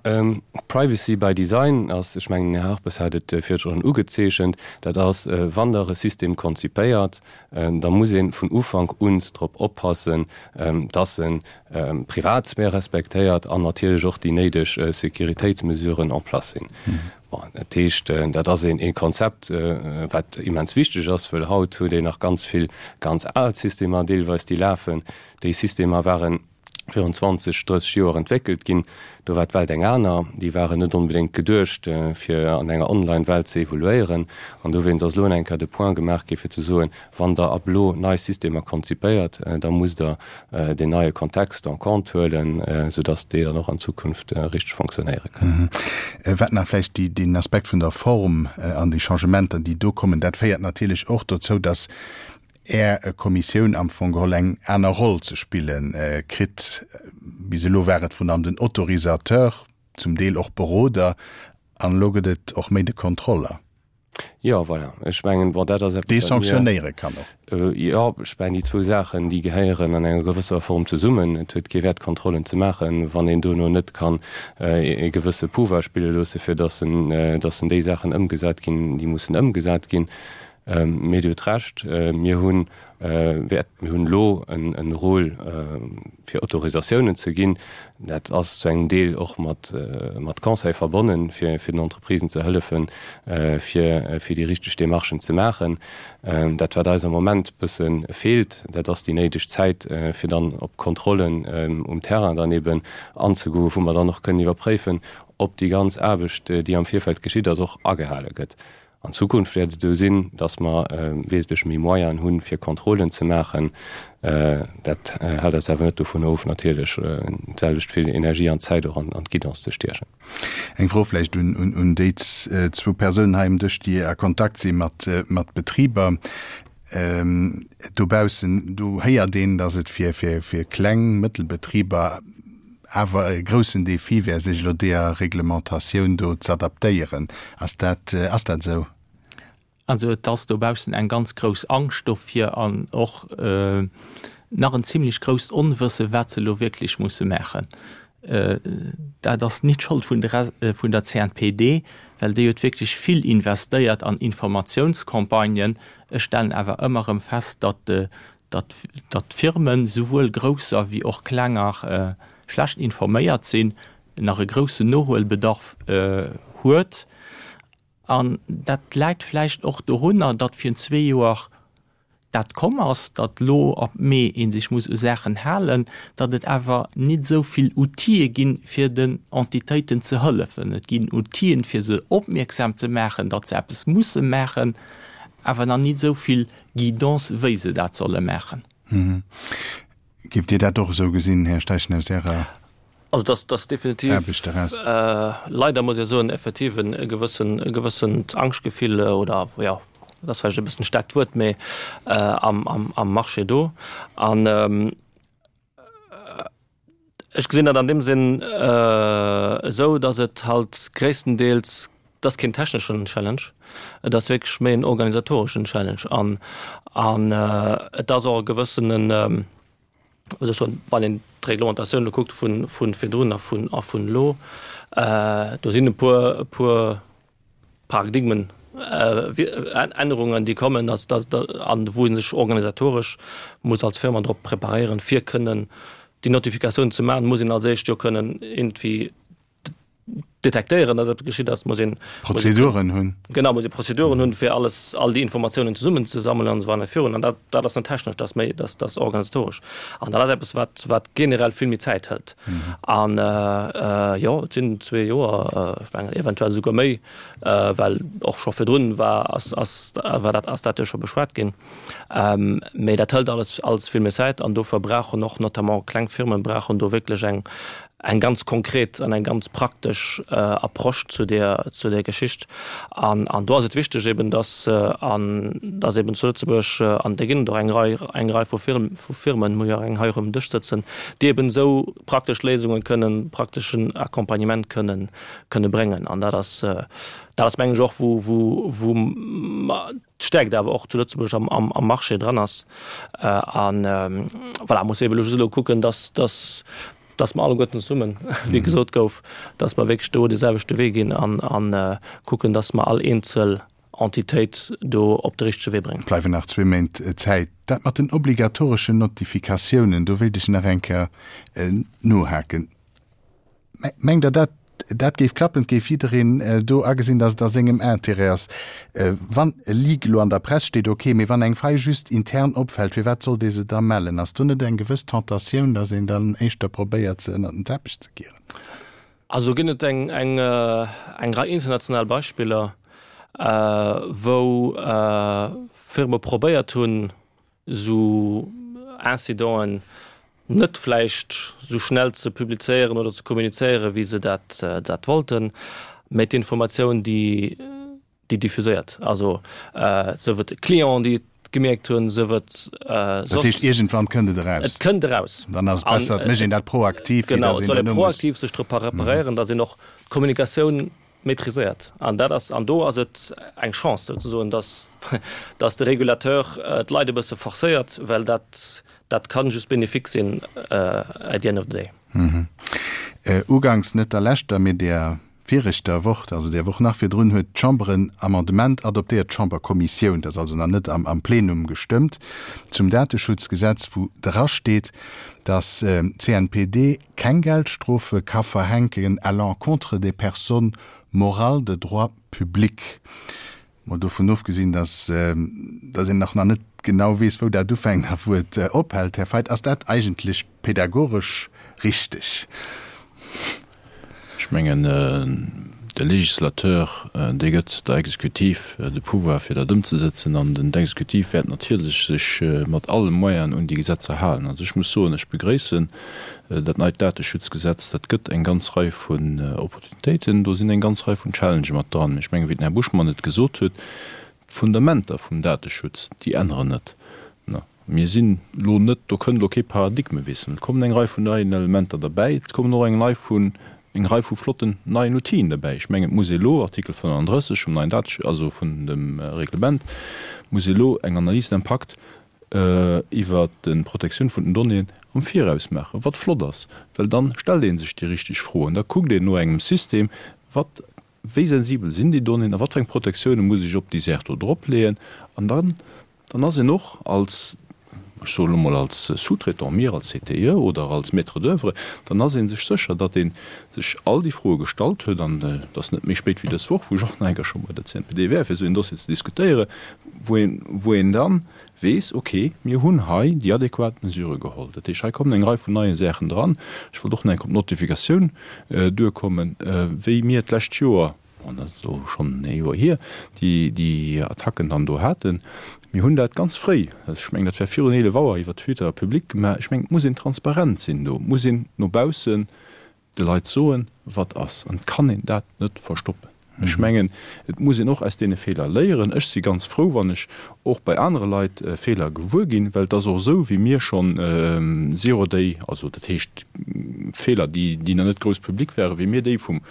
Privacy by Design ass, ech mengen, den Här Harpes hat et virdrun ugezeechent, dat ass, wann Der e System konzipéiert, da muss ee vun Ufank un drop oppassen, dass en d'Privatsphär respektéiert an natierlech och déi néideg Sécuritéitsmesuren en place sinn. Bon, dat heescht, dat ass een Konzept, wat immens wichteg ass, wëll haut huet een nach ganz vill ganz al Systemer deelweis, déi lafen. Déi Systemer waren virun 20, 30 Joer entwéckelt ginn. Do war d'Welt eng aner. Déi waren net onbedéngt geduecht, fir an enger Online-Welt ze evoluéieren. An dowéinst ass elo eng Kéier de Point gemaach gi fir ze soen, Wann Der ab elo nei Systemer konzipéiert, da musst Der deen neie Kontext en compte huelen, soudass déi dann och an Zukunft richteg fonctionnéiere kënnen. Wat nach vläicht deen Aspekt vun der Form an déi Changementer, déi do kommen, dat féiert natierlech och dozou, dass Är Kommissioun am Fong geholl eng aner Roll ze spille kritt. Bis elo war et vrun allem den Autorisateur, zum Deel och Beroder, an elo gëtt et och méi de Kontroller. Jo, voilà. Ech mengen, bon, dat ass eppes, Dee wat mir. sanktionéiere kann och. Jo, ech mengen, déi zwou Saachen, déi gehéieren an enger gewësser Form zesummen. Et huet kee Wäert, Kontrollen ze maachen, wann een dono net kann e gewësse Pouvoir spille loosse, fir dass en, dass en déi Saachen ëmgesat ginn, déi mussen ëmgesat ginn. Mee Dir hutt Recht, mir hunn, wäert, mir hunn elo en Rôle fir Autorisatiounen ze ginn. Dat ass zu engem Deel och mat, mat Conseil verbonnen, fir, fir den Entreprisen ze hëllefen, fir, fir déi richteg Démarchen ze maachen. Dat, wat eis am Moment bësse feelt, dat ass déi néideg Zäit, fir dann op Kontrollen um Terrain dann eeben anzegoen, wou mer dann och kënnen iwwerpréifen, ob déi ganz Aarbecht, déi am Virfeld geschitt ass, och agehale gëtt. An Zukunft wäert et esou sinn, datt mer wesentlech méi Moyenen hunn, fir Kontrollen ze maachen. Dat hält eis awer net dovun of, natierlech d'selwecht vill Energie an Zäit och an d'Guidance ze stiechen. Eng Fro vläicht un déi zwou Persounen hei um Dësch, déi a Kontakt si mat Betriber dobaussen. Do héiert een, datt et fir kleng, mëttel Betriber awer e groussen Défi wär, sech elo deeër Reglementatioun do z'adaptéieren. Ass dat, ass dat esou? Also et ass dobaussen eng ganz grouss Angscht dofir an och nach en zimlech grousst Onwësse wat se elo wierklech musse maachen. Dat ass nit d'Schold vun der vun der CNPD, well déi huet wierklech vill investéiert an Informatiounscampagnen. Ech stellen awer ëmmer erëm fest, datt datt d'Firmen, souwuel grousser wéi och klenger, schlecht informéiert sinn, nach e groussen Nohuelbedarf huet. An dat läit vläicht och dorunner, datt virun zwee Joer dat komm ass, datt elo ab Mee ee sech muss u Saachen halen, datt et awer nit esou vill Outile ginn, fir den Entitéiten ze hëllefen. Et ginn Outile fir se opmierksam ze maachen, datt se eppes musse maachen. awer nach nit esou vill Guidance, wéi se dat solle maachen. Géift Dir dat och esou gesinn, Här Steichen, aus Ärer Also dass dass definitiv Aarbecht eraus? leider muss ech soen, effektiv e gewëssen e gewëssent Angschtgefill oder jo, dat ass vläicht e bëssen e staarkt Wuert, mee am am am Marché do. An ech gesinn dat an deem Sënn esou, dass et halt gréisstendeels, et ass keen techneschen Challenge, et ass wierklech méi en organisatoreschen Challenge an an et ass och e gewëssenen, wéi soll ech soen, wann een d'Reglementatioun elo kuckt vu vu virdrun a vun a vun elo, do sinn e puer e puer Paradigmen Ännerungen, déi kommen, dass dass an wou ee sech organisatoresch muss als Firma drop preparéieren, fir kënnen déi Notifikatioun ze maachen, muss een als éischt jo kënnen iergendwéi detektéieren, datt eppes geschitt ass, muss een Prozeduren hunn. Genau, muss ee Prozeduren hunn, fir alles, all déi Informatiounen zesummenzesammelen an esou weider virun. An dat, dat ass net technesch, dat ass méi, dat ass organisatoresch. An dat ass eppes, wat, wat generell vill méi Zäit hëlt. An jo, et sinn zwee Joer, ech mengen eventuell esouguer méi, well och scho virdrun war, ass, ass, war dat, ass dat jo scho beschwat ginn. Mee dat hëlt alles, alles vill méi Zäit an dofir brauchen och notamment kleng Firmen brauchen do wierklech eng, eng ganz konkret an eng ganz praktesch Approche zu där, zu där Geschicht. An, an do ass et wichteg eben, dass, an dass eben zu Lëtzebuerg, an do ginn et och eng Rei, eng Rei vu Firm, vu Firmen, mir hu jo eng hei och um Dësch sëtzen, déi eben esou praktesch Léisunge kënnen, prakteschen Accompagnement kënnen, kënne bréngen. An dat ass, dat ass mengen ech och, wou, wou, wou mer d'Stäerkt awer och zu Lëtzebuerg am, am, am Marché dran ass. An voilà, muss eben elo just elo kucken, dass, dass, dass mer alleguerten zesummen, wéi gesot gouf, dass mer wierklech do dee selwechte Wee ginn an, an kucken, dass mer all eenzel Entitéit do op de richtege Wee bréngen. Bleiwen nach zwee Méint Zäit. Dat mat den obligatoreschen Notifikatiounen, do wéilt ech nach eng Kéier nohaken. Mengt Der, dat dat géif klappen? Et géif jiddereen do agesinn, datt et a sengem Intérêt ass. Wann e Leak elo an der Press steet, ok, mee wann eng Fei just intern opfält, firwat sollt ee se da mellen? Ass do net eng gewëss Tentatioun, datt een dann éischter probéiert, se ënnert den Teppech ze kieren? Also do ginn et eng eng Rei international Beispiller, wou Firme probéiert hunn, esou Incidenten net vläicht esou schnell ze publizéieren oder ze kommunizéieren, wéi se dat dat wollten, mä d'Informatioun, déi déi diffuséiert, also sief et Clienten, déi et gemierkt hunn, sief et soss. Dat heescht, iergendwann kënnt et eraus. Et kënnt eraus. Dann ass et besser, et mécht een dat proaktiv, wéi datt een duerno muss. Genau, et soll ee proaktiv sech drop preparéieren, datt een och d'Kommunikatioun Maîtriséiert. An dat ass, an do ass et eng Chance souzesoen, dass, dass de Régulateur d'Leit e bësse forcéiert, well dat, dat ka just bénéfique sinn at the end of the day. Uganks net der leschter, mee där viregter Woch, also där Woch nach virdrun, huet d'Chamber en Amendement adoptéiert, d'Chamberkommissioun, dat ass also nach net am Plenum gestëmmt, zum Dateschutzgesetz, wou drasteet, dass d'CNPD keng Geldstrofe ka verhänken à l'encontre des personnes morales de droit public. Mol dovun ofgesinn, dass dass een nach nach net genau weess, wou dat ufänkt a wou et ophält, Här Feidt, ass dat eigentlech pädagogesch richteg? Ech mengen, de Législateur, dee gëtt der Exekutiv de Pouvoir, fir dat ëmzesetzen, an den d'Exekutiv wäert natierlech sech mat alle Moyenen un déi Gesetzer halen. Also ech muss soen, ech begréissen dat neit Dateschutzgesetz. Dat gëtt eng ganz Rei vun Opportunitéiten, do sinn eng ganz Rei vun Challengë mat dran. Mee ech mengen, wéi den Här Buschmann et gesot huet, d'Fundamenter vum Dateschutz, déi änneren net. Mir sinn elo net, do kënnt elo kee Paradigmewiessel. Et kommen eng Rei vun neien Elementer derbäi, et kommen och eng Rei vun, eng Rei vu flotten neien Outile derbäi. Ech mengen, et muss ee elo, Artikel 35 vum neien Datesch-, also vun dem Reglement, muss ee elo eng Analyse d'impact iwwert d'Protektioun vun den Donnéeën am Viraus maachen, wat flott ass, well dann stellt ee sech déi richteg Froen, da kuckt een no engem System, wat, wéi sensibel sinn déi Donnéeën a wat fir eng Protektioune muss ech op déi Saach do dropleeën an dann Dann ass een och als, ech soen elo mol als Sous-traitant, mir als CTIE oder als Maître d'oeuvre, dann ass ee sech sécher, datt ee sech all déi Froe gestallt huet. An et ass net méi spéit wéi dës Woch, wou ech och nach eng Kéier scho bei der CNPD war, fir esou een Dossier ze diskutéieren, wou een, wou een da weess, okay, mir hunn hei déi adequat Mesurë geholl. Dat heescht, hei kommen eng Rei vun neie Saachen dran. Ech wollt och nach eng Kéier op d'Notifikatioun duerkommen, wéi mir d'lescht Joer. Bon, dat ass elo schonn e Joer hier, déi déi Attacken dann do haten. Mir hunn dat ganz fréi, ech mengen, dat war virun 11 Auer, iwwer Twitter public gemaach. Ech mengen, et muss een transparent sinn do, et muss een no baussen de Leit soen, wat ass. An et kann een dat net verstoppen. Ech mengen, et muss een och aus deene Feeler léieren. Ech si ganz frou, wann ech och bei anere Leit Feeler gewuer ginn, well et ass och esou, wéi mir schonn Zero Day, also dat heescht Feeler, déi nach net grouss public waren, wéi mir déi vum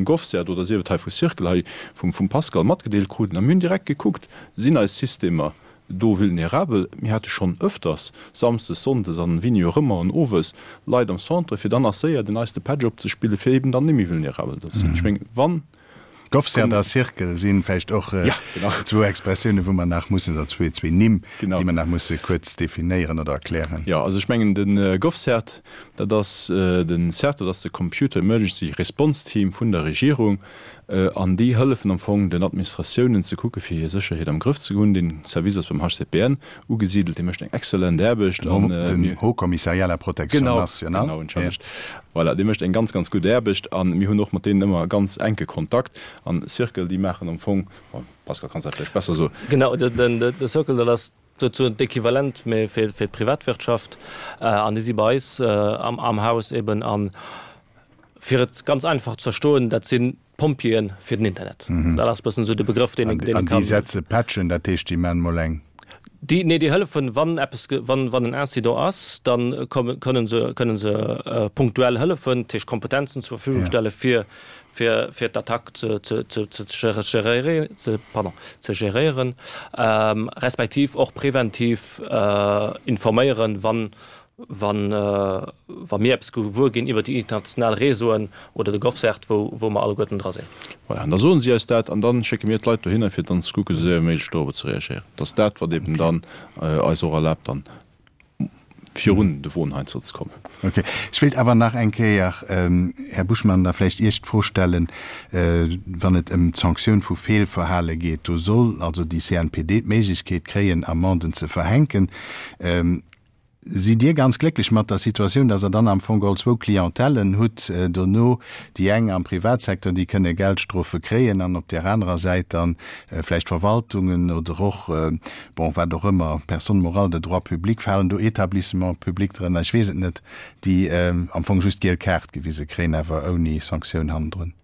GovCert oder sief et hei vu Circle hei vum Pascal matgedeelt kruten, a mir hunn direkt gekuckt, Sinn eis Systemer do vulnerabel? Mir hate schonn ëfters, samsdes, sonndes an wéini och ëmmer an owes, Leit am Centre, fir dann nach séier den neiste Patch opzespillen, fir eben dann net méi vulnerabel ze sinn. Ech mengen, wann. GovCert a Circle si vläicht och zwou Expressiounen, wou mer nach mussen, oder zwee Nimm, déi mer nach musse kuerz definéieren oder erklären. Jo, also ech mengen, de GovCert, dat ass den CERT, dat ass de Computer Emergency Response Team vun der Regierung. An déi hëllefen am Fong den Administratiounen ze kucke fir hir Sécherheet am Grëff ze hunn. Dee Service ass beim HCPN ugesidelt, dee mécht eng exzellent Aarbecht. Den Haut Commissariat à la Protection nationale. Genau, entschëllegt. Voilà, dee mécht eng ganz, ganz gutt Aarbecht a mir hunn och mat deenen ëmmer ganz enke Kontakt. An Circle, déi maachen am Fong, bon, Pascal kanns dat vläicht besser soen. Genau, de Circle, dat ass souzesoen d'Equivalent, mee fir d'Privatwirtschaft. An déi si bei eis am Haus eben. An fir et ganz einfach ze verstoen, dat sinn d'Pompjeeë fir den Internet. Dat ass e bëssen esou de Begrëff, deen een kann. An déi setze Patchen, dat heescht, déi man mol eng. Déi, nee, déi hëllefen, wann eppes, wann, wann en Incident ass, da kommen, kënnen se, kënnen se punktuell hëllefen, dat heescht Kompetenzen zur Verfügung stelle fir, fir, fir d'Attack ze, ze, ze, ze geréieren, ze, pardon, ze geréieren, respektiv och preventiv informéieren, wann, wann, wa mir eppes gewuer ginn iwwer déi international Réseauen oder de GovCert, wou, wou mer alleguerten dra sinn. Voilà, an da soen si eis dat an da schécke mir d'Leit dohinner, fir dann ze kucken, esou séier wéi méiglech dorobber ze reagéieren. Dat ass dat, wat eben dann eis och erlaabt, dann virun de Won heiansdo ze kommen. Okay. Ech wéilt awer nach eng Kéier, Här Buschmann, da vläicht Iech d'Fro stellen, wann et ëm d'Sanktioun vu Feelverhale geet. Do soll also déi CNPD d'Méiglechkeet kréien, Amenden ze verhänken. Sidd Dir ganz glécklech mat der Situatioun, dass Der dann am Fong geholl zwou Clientèlen hutt dono, déi eng am Privatsecteur, déi kënne Geldstrofe kréien, an op där anerer Säit dann vläicht Verwaltungen oder och, bon, wat och ëmmer, Personnes morales de droit public, falen do Établissements publics drënner, ech weess et net, déi am Fong just d'giel Kaart gewise kréien, awer ouni Sanktioun hannendrun?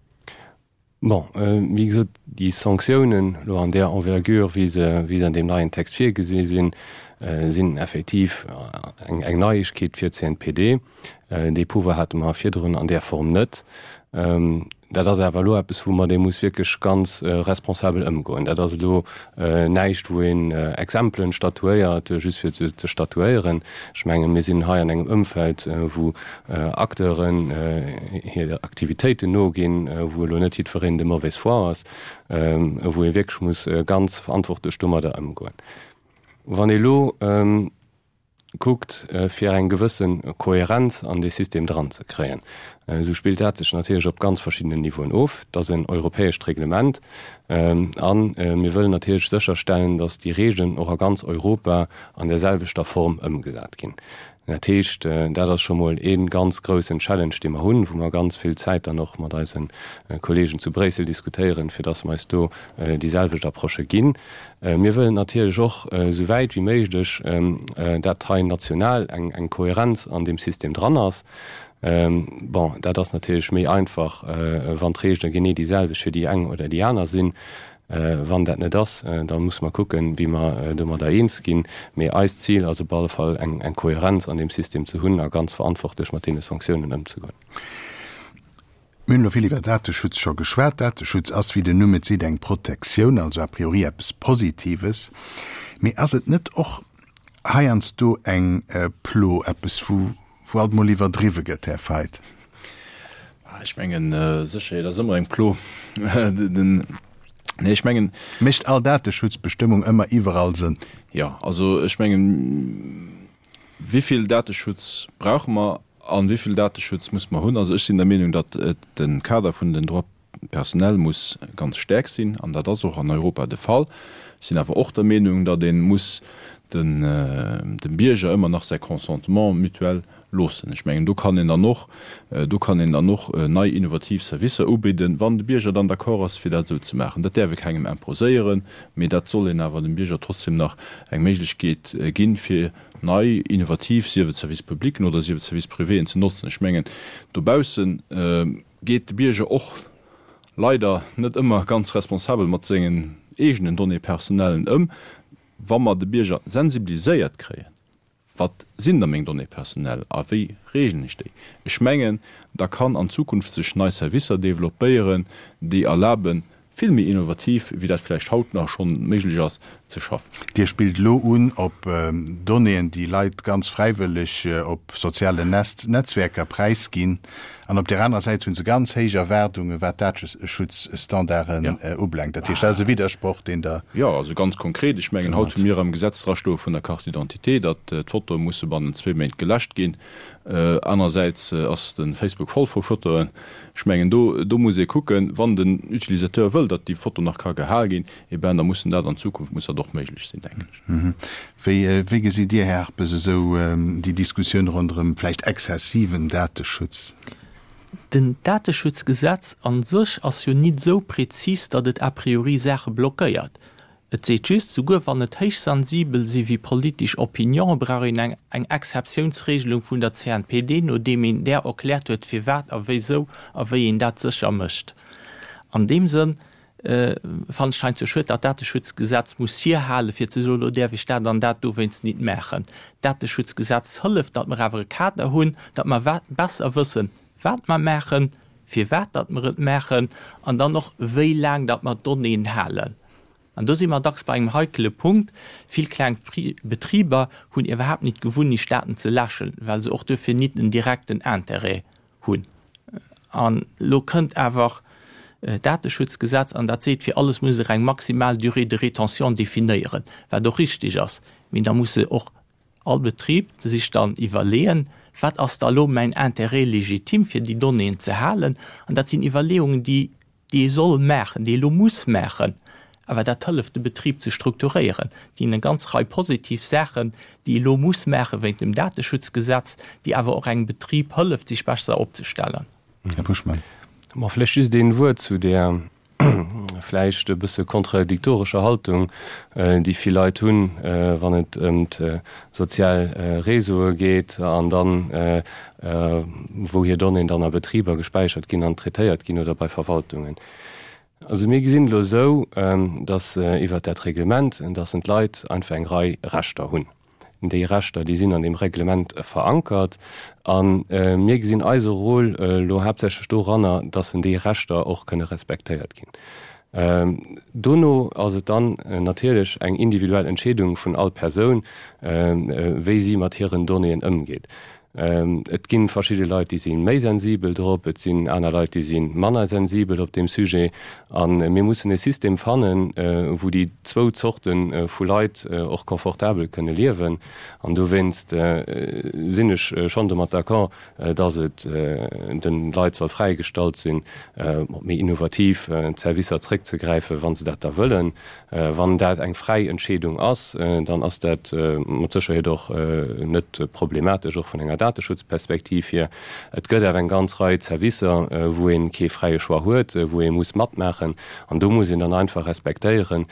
Bon, wéi gesot, déi Sanktiounen elo an där Envergure, wéi se, wéi se an deem neien Text virgesi sinn, sinn effektiv eng, eng Neiegkeet fir d'CNPD. Dee Pouvoir hate mer virdrun an där Form net. Dat ass awer elo eppes, wou mat ee muss wierklech ganz responsabel ëmgoen. Dat ass elo näischt, wou een Exempelen statuéiert, just fir se ze statuéieren. Ech mengen, mir sinn hei an engem Ëmfeld, wou Acteuren hir Aktivitéiten noginn, wou elo net jiddwereen de mauvaise foi ass, wou ee wierklech muss ganz verantwortlech domadder ëmgoen. Wann ee elo kuckt, fir eng gewësse Kohärenz an dee System dranzekréien, esou spillt dat sech natierlech op ganz verschiddenen Niveauen of. Et ass en europäescht Reglement a mir wëllen natierlech sécherstellen, datt déi Regeln och a ganz Europa an där selwechter Form ëmgesat ginn. Dat heescht, dat ass scho mol ee ganz groussen Challenge, dee mer hunn, wou mer ganz vill Zäit dann och mat eise Kolleegen zu Bréissel diskutéieren, fir dass mer eis do déi selwecht Approche ginn. Mir wëllen natierlech och esou wäit wéi méiglech, dat hei national eng Kohärenz an deem System dran ass. Bon, dat ass natierlech méi einfach, wann d'Reegele genee déi selwecht fir déi eng oder déi aner sinn. Wann dat net ass, da musse mer kucken, wéi mer domadder eens ginn. Mee eist Zil ass op alle Fall, eng Kohärenz an deem System ze hunn a ganz verantwortlech mat deene Sanktiounen ëmzegoen. Mir hunn elo vill iwwer Dateschutz scho geschwat. Dateschutz ass, wéi den Numm et seet, eng Protektioun, also a priori eppes Positives. Mee ass et net och heiansdo eng Plo, eppes, wou wou alt mol iwwerdriwwe gëtt, Här Feidt? Ech mengen, Sécherheet ass ëmmer eng Plo. Nee, ech mengen. Mécht all Dateschutzbestëmmung ëmmer iwwerall Sënn? Jo, also ech mengen, wéi vill Dateschutz brauche mer a wéi vill Dateschutz muss mer hunn? Also ech sinn der Meenung, datt de Kader vun den Droits personnels muss ganz staark sinn, an dat ass och an Europa de Fall. Ech sinn awer och der Meenung, datt ee muss dem Bierger ëmmer nach säi Consentement mutuel. Loossen. Ech mengen, do kann een dann och, do kann een dann och nei innovativ Servicer ubidden, wann de Bierger dann d'accord ass, fir dat esou ze maachen. Dat däerf ee kengem imposéieren, mee dat soll een awer dem Bierger trotzdem nach eng Méiglechkeet ginn, fir nei innovativ, sief et Services publicen oder sief et Services privéen, ze notzen. Ech mengen, dobausse geet de Bierger och leider net ëmmer ganz responsabel mat sengen eegenen Données personnellen ëm. Wa mer de Bierger sensibiliséiert kréien, Wat sinn da meng Données personnelles a wéi reegelen ech déi? Ech mengen, da kann an Zukunft sech nei Servicer developpéieren, déi erlaben, vill méi innovativ, wéi dat vläicht haut nach schonn méiglech ass, ze schaffen. Dir spillt elo un op Donnéeën, déi Leit ganz fräiwëlleg op sozialen Netzwerker präisginn. An op där anerer Säit hu se ganz héich Erwaardungen, wat d'Dateschutzstandarden ubelaangt. Dat heescht, dat ass e Widdersproch, deen Der. Jo, also ganz konkret, ech mengen, haut hu mir am Gesetz drastoe vun der Carte d'identité, datt d'Fotoe musse bannent zwee Méint geläscht ginn. Anerersäits ass de Facebook voll vu Fotoen. Ech mengen, do, do muss ee kucken, wann den Utilisateur wëll, datt déi Foto nach ka gehal ginn, eh ben, da muss en dat an Zukunft muss dat och méiglech sinn, denken ech. Wéi, wéi gesitt Dir, Här Harpes, esou déi Diskussioun ronderëm vläicht exzessiven Dateschutz? Den Dateschutzgesetz a sech ass jo nit esou prezis, datt et a priori Saache blockéiert. Et seet just, souguer wann et héichsensibel si wéi politesch Opinionen, brauch een eng eng Exceptiounsregelung vun der CNPD, nodeem een där erkläert huet, firwat a wéisou a wéi een dat sécher mécht. An deem Sënn fannen ech heiansdo schued, datt d'Dateschutzgesetz muss hierhalen, fir ze soen, elo däerf ech dat an dat dowéinst nit maachen. D'Dateschutzgesetz hëlleft, datt mer awer e Kader hunn, datt mer besser wëssen, wat mer maachen, firwat datt mer et maachen an dann och, wéi laang datt mer d'Donnéeën halen. An do si mer dacks bei engem heikele Punkt. Vill kleng Betriber hunn iwwerhaapt nit d'Gewunnecht, Daten ze läschen, well se och duerfir nit en direkten Intérêt hunn. An elo kënnt awer d'Dateschutzgesetz an dat seet, fir alles muss Der eng maximal Durée de rétention definéieren, wat och richtig ass. Mee da musse och all Betrib sech dann iwwerleeën, Wat ass da elo mäin Intérêt légitime, fir déi Donnéeën ze halen? An dat sinn Iwwerleeungen, déi déi ee soll maachen, déi ee elo muss maachen, awer dat hëlleft de Betrib ze strukturéieren. Et ginn eng ganz Rei positiv Saachen, déi ee elo muss maache wéint dem Dateschutzgesetz, déi awer och engem Betrib hëlleft, sech besser opzestellen. Här Buschmann. Ma vläicht just een Wuert zu där vläicht e bësse kontradiktorescher Haltung, déi vill Leit hunn, wann et ëm d'sozial Réseaue geet an dann wou hir Donnéeën dann a Betriber gespäichert ginn an traitéiert ginn oder bei Verwaltungen. Also mir gesinn elo esou, dass iwwert dat Reglement, dass en d'Leit einfach eng Rei Rechter hunn. Déi Rechter, déi sinn an deem Reglement verankert a mir gesinn eise Rôle elo haaptsächlech doranner, dass en déi Rechter och kënne respektéiert ginn. Dono ass et dann natierlech eng individuell Entscheedung vun all Persoun, wéi si mat hiren Donnéeën ëmgeet. Et gi verschidde Leit, déi si méi sensibel drop, et sinn aner Leit, déi si manner sensibel op deem Sujet. A mir mussen e System fannen, wou déi zwou Zorte vu Leit och confortabel kënne liewen. An dowéinst sinn ech schonn domat d'accord, dass et de Leit soll fräigestallt sinn, op méi innovativ Servicer zréckzegräifen, wa se dat da wëllen. Wann dat eng fräi Entscheedung ass, dann ass dat mat Sécherheet och net problematesch, och vun enger Dateschutzperspektiv hier. Et gëtt awer eng ganz Rei Servicer, wou ee kee fräie Choix huet, wou ee muss matmaachen. An do muss een dann einfach respektéieren,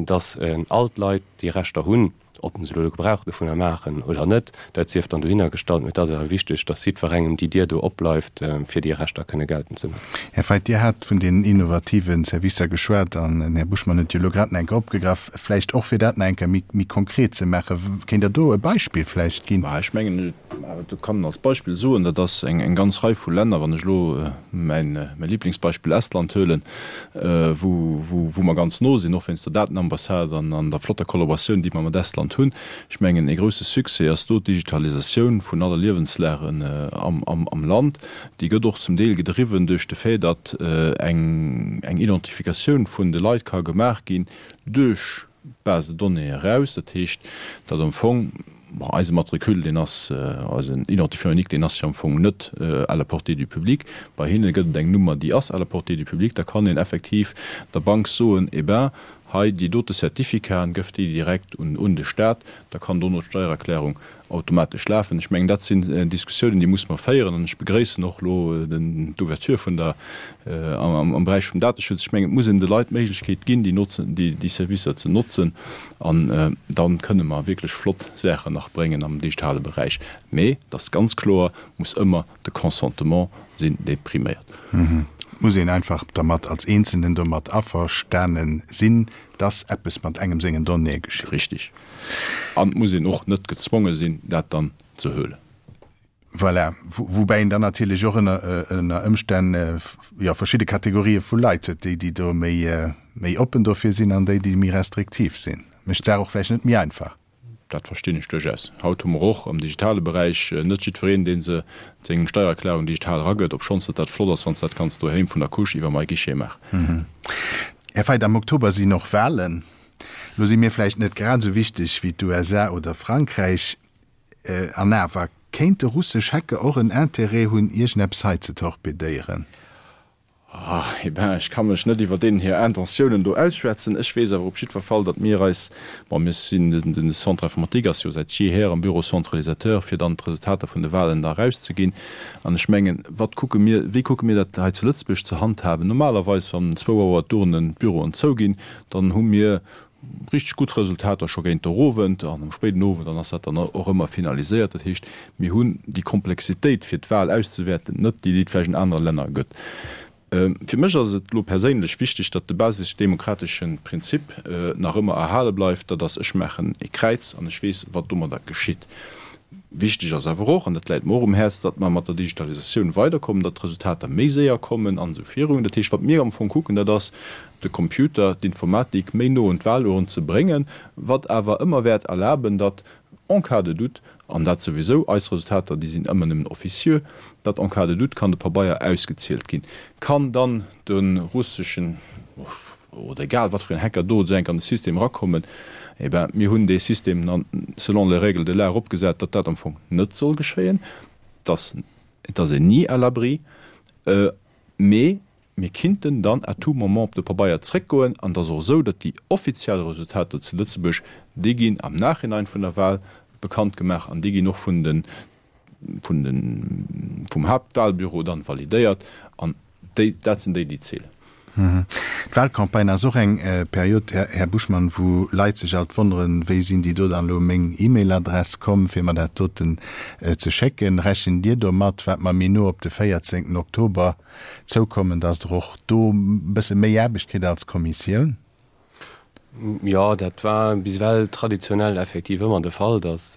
dass all d'Leit déi Rechter hunn. Ob se elo Gebrauch dovunner maachen oder net, dat sief dann dohinner gestallt. Mee et ass awer wichteg, datt jiddwerengem déi Dier do opbleift, fir déi Rechter kënne geltend ze maachen. Här Feidt, Dir hat vun den innovative Servicer geschwat an den Här Buschmann huet déi elo grad nach eng Kéier opgegraff. Vläicht och fir dat nach eng Kéier méi konkret ze maachen, kéint Der do e Beispill vläicht ginn? Mä ech mengen, do kann een als Beispill soen, dat ass eng ganz Rei vu Länner, wann ech elo mäin Lieblingsbeispill Estland huelen, wou mer ganz no sinn, och wéinst der Datenambassade an der flotter Kollaboratioun, déi mer mat Estland hunn. Ech mengen, ee grousse Succès ass do d'Digitalisatioun vun alle Liewenslagen am Land. Déi gëtt och zum Deel gedriwwen duerch de Fait, datt eng Identifikatioun vun de Leit ka gemaach ginn duerch d'Base de données eraus. Dat heescht, datt am Fong, bon, eise Matricule, deen ass, eisen Identifiant unique, deen ass jo am Fong net à la portée du public. Bei hinne gëtt et eng Nummer, déi ass à la portée du public. Da kann een effektiv der Bank soen, Eh ben, Hei déi dote Certificaten, gëff déi direkt un de Staat, da kann dono d'Steiererklärung automatesch lafen. Ech mengen, dat sinn Diskussiounen, déi musse mer féieren. An ech begréissen och elo d'Ouverture vun der, am Beräich vum Dateschutz. Ech mengen, et muss een de Leit d'Méiglechkeet ginn, déi notzen, déi Servicer ze notzen. An da kënne mer wierklech flott Saachen nach bréngen am digitale Beräich. Mee et ass ganz kloer, muss ëmmer de Consentement sinn, dee priméiert. Et muss een einfach dermat als Eenzelnen domat averstane sinn, dass eppes mat engem sengen Donnéeë geschitt. Richtig. An et muss een och net gezwonge sinn, dat dann ze huelen. Voilà. Woubäi een dann natierlech och ënner Ëmstänn, jo, verschidde Kategorië vu Leit huet, déi, déi do méi, méi oppen dofir sinn an déi, déi méi restriktiv sinn. Mécht d'Saach och vläicht net méi einfach. Dat verstinn ech duerchaus. Haut hu mer och am digitale Beräich net jiddwereen, dee se seng Steiererklärung digital eragëtt, obschonns datt dat flott ass, wann s de dat kanns doheem vun der Couche iwwer MyGuichet maachen. Här Feidt, am Oktober sinn och Wahlen. Lo si mir vläicht net grad esou wichteg wéi d'USA oder Frankräich, an awer, kéinte russesch Hacker och en Interêt hunn, iergendeppes hei ze torpedéieren? Eh ben, ech ka mech net iwwer deenen hir Intentiounen do ausschwätzen. Ech weess awer op jiddwer Fall, datt mir eis, bon, mir sinn, den Centre informatique ass jo säit jeeher am Bureau centralisateur, fir dann d'Resultater vun de Wahlen da erauszeginn. An ech mengen, wat kucke mir, wéi kucke mir dat hei zu Lëtzebuerg ze handhaben? Normalerweis, wann zwou Auer d'Urnen, d'Büroen zouginn, dann hu mir richteg gutt Resultater scho géint der Owend an am spéiden Owend, dann ass dat dann och ëmmer finaliséiert. Dat heescht, mir hunn déi Komplexitéit fir d'Wahl auszewäerten net, déi et vläicht an anere Länner gëtt. Fir mech ass et elo perséinlech wichteg, datt de basisch-demokratesche Prinzip nach ëmmer erhale bleift, dat ass, ech maachen e Kräiz an ech weess, wat domadder geschitt. Wichteg ass awer och, an dat läit mer och um Häerz, datt mer mat der Digitalisatioun weiderkommen, datt d'Resultater méi séier kommen an esou virun. Dat heescht, wat mir am Fong kucken, dat ass, de Computer, d'Informatik méi no un d'Wahlurn ze bréngen, wat awer ëmmer wäert erlaben, datt en cas de doute, an dat souwisou, eis Resultater, déi sinn ëmmer nëmmen officieux, datt en cas de doute kann de Pabeier ausgezielt ginn, kann dann de russeschen oder egal wat fir en Hacker do esou enk an de System erakommen. Eh ben, mir hunn dee System dann selon les règles de l'art opgesat, datt dat am Fong net soll geschéien, dass, et ass een ni à l'abri, mee Mir kinnten dann à tout moment op de Pabeier zréckgoen an et ass och esou, datt déi offiziell Resultater zu Lëtzebuerg, déi ginn am Nachhinein vun der Wahl bekannt gemaach an déi ginn och vun de, vun de, vum Haaptwahlbüro dann validéiert an déi, dat sinn déi, déi zielen. D'Wahlcampagne ass och eng Period, Här Buschmann, wou Leit sech alt wonneren, wéi sinn déi do dann elo u meng E-Mail-Adress komm, fir mer dat doten ze schécken. Rechent Dir domat, wat mer méi no op de 14 Oktober zoukommen, dass Der och do e bësse méi Aarbecht kritt als Kommissioun? Jo, dat war bis ewell traditionell effektiv ëmmer de Fall, dass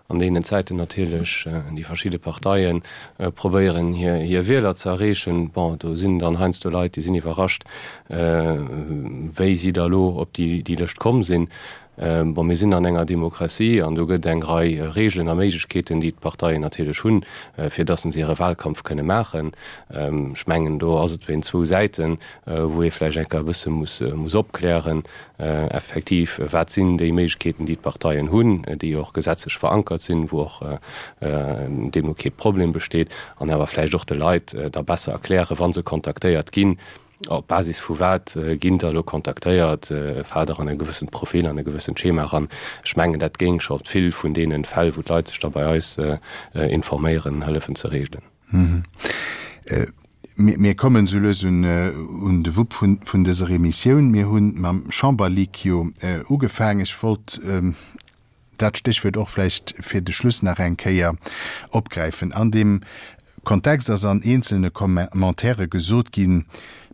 an deenen Zäiten natierlech déi verschidde Parteie probéieren, hir Wieler ze erreechen. Bon, do sinn dann heiansdo Leit, déi sinn iwwerrascht, wéi si da elo op déi Lëscht komm sinn. Bon, mir sinn an enger Demokratie an do gëtt eng Rei Regeln a Méiglechkeeten, déi d'Parteien natierlech hunn, fir dass se hire Wahlkampf kënne maachen. Ech mengen, do ass et wéi zwou Säiten, wou ee vläicht eng Kéier e bësse muss muss opklären, effektiv, wat sinn déi Méiglechkeeten, déi d'Parteien hunn, déi och gesetzlech verankert sinn, wou och deemno kee Problem besteet, an awer vläicht och de Leit da besser erklären, wa se kontaktéiert ginn, Op Basis vu wat ginn der elo kontaktéiert? Faalt der an e gewëssent Profil, an e gewëssent Schema eran? Ech mengen, dat géing scho vill vun deene Fäll, wou d'Leit sech da bei eis informéieren, hëllefen ze regelen. Mir kommen esou lues un de Wupp vun dëser Emissioun. Mir hu mam Chamberleak jo ugefaangen. Ech wollt dat Stéchwuert och vläicht fir de Schluss nach eng Kéier opgräifen. An deem Kontext ass an eenzelne Commentairë gesot ginn,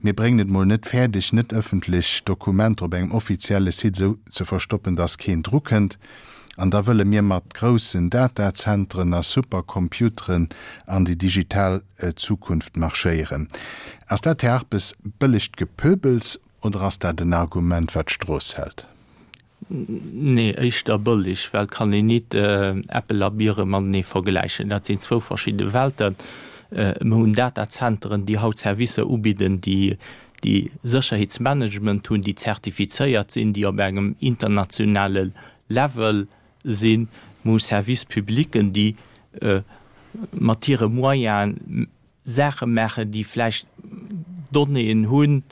mir bréngen et mol net fäerdeg, net ëffentlech Dokumenter op engem offizielle Site esou ze verstoppen, dass keen drukënnt. An da wëlle mir mat groussen Datazentren a Supercomputeren an déi digital Zukunft marschéieren. Ass dat, Här Arpes, bëllegt Gepöbels oder ass dat en Argument, wat d'Strooss hält? Nee, éischter bëlleg, well et kann een nit Äppel a Biere matenee vergläichen. Dat sinn zwou verschidde Welten. Mir hunn Datazenteren, déi haut Servicer ubidden, déi déi Sécherheetsmanagement hunn, déi zertifizéiert sinn, déi op engem internationale Level sinn. Mir hu Services publics, déi mat hire Moyene Saache maachen, déi vläicht Donnéeën hunn.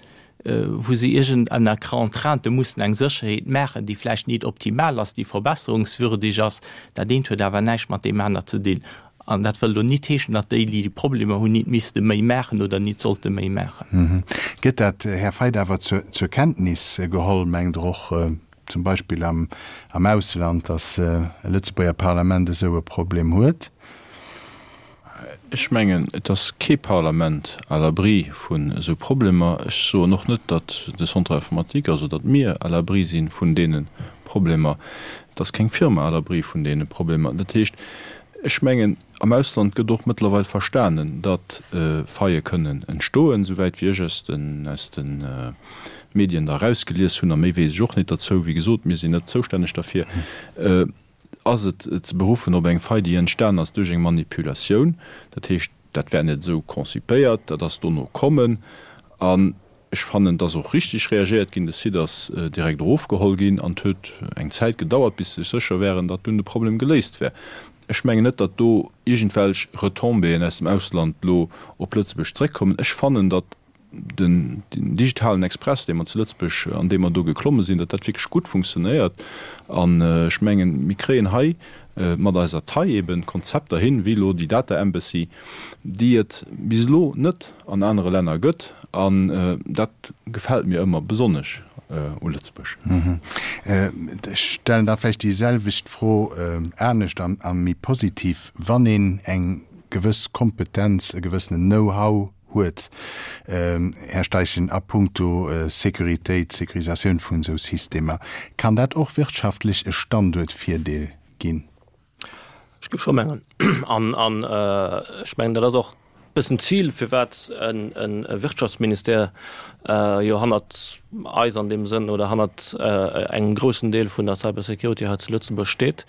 wou se iergend ënner Contrainte mussen eng Sécherheet maachen, déi vläicht nit optimal ass, déi verbesserungswürdig ass. Dat eent huet awer näischt mat deem aner ze dinn. An dat wëll elo nit heeschen, datt déi, déi déi Problemer hunn, nit misste méi maachen oder nit sollte méi maachen. Gëtt dat, Här Feidt, awer zur Kenntnis geholl, mengt Der och zum Beispill am Ausland, datt e Lëtzebuerger Parlament esou e Problem huet? Ech mengen, et ass kee Parlament à l'abri vun esou Problemer. Ech soen och net, datt de Centre informatique, also datt mir à l'abri si vun deene Problemer. Et ass keng Firma à l'abri vun deene Problemer. Dat heescht, ech mengen, am Ausland gëtt och mëttlerweil verstanen, datt Faillë kënnen entstoen, souwäit wéi ech aus den, aus de Medien da erausgelies hunn, a méi weess ech och net derzou, wéi gesot, mir sinn net zoustänneg derfir. Ass et ze beruffen op eng Faille, déi entstan ass duerch eng Manipulatioun? Dat heescht, dat war net esou concipéiert, dat ass dono kommen. An ech fannen, et ass och richtig reagéiert ginn. De Site ass direkt erofgeholl ginn an et huet eng Zäit gedauert, bis se sech sécher waren, datt dunn de Problem geléist wär. Ech mengen net, datt do iergendwelch Retombéeën aus dem Ausland elo op Lëtzebuerg zréckkommen. Ech fannen, datt den digitalen Express, dee mer zu Lëtzebuerg, an dee mer do geklomme sinn, datt dat wierklech gutt funktionéiert. An ech mengen, mir kréien hei mat eiser Taille eben Konzepter hin, wéi elo déi Data Embassy, déi et bis elo net an anere Länner gëtt. An dat gefält mir ëmmer besonnesch u Lëtzebuerg. Ech stellen da vläicht déi selwecht Fro anescht a méi positiv, Wann een eng gewëss Kompetenz, e gewëssenen Know-how huet, Här Steichen, a puncto Sécuritéit, Sécurisatioun vun esou Systemer, kann dat och wirtschaftlech e Standuertvirdeel ginn? Ech géif scho mengen. An ech mengen, dat ass och e bëssen d'Zil, firwat e Wirtschaftsministère jo hannert eis an deem Sënn oder hannert engem groussen Deel vun der Cybersecurity hei zu Lëtzebuerg steet,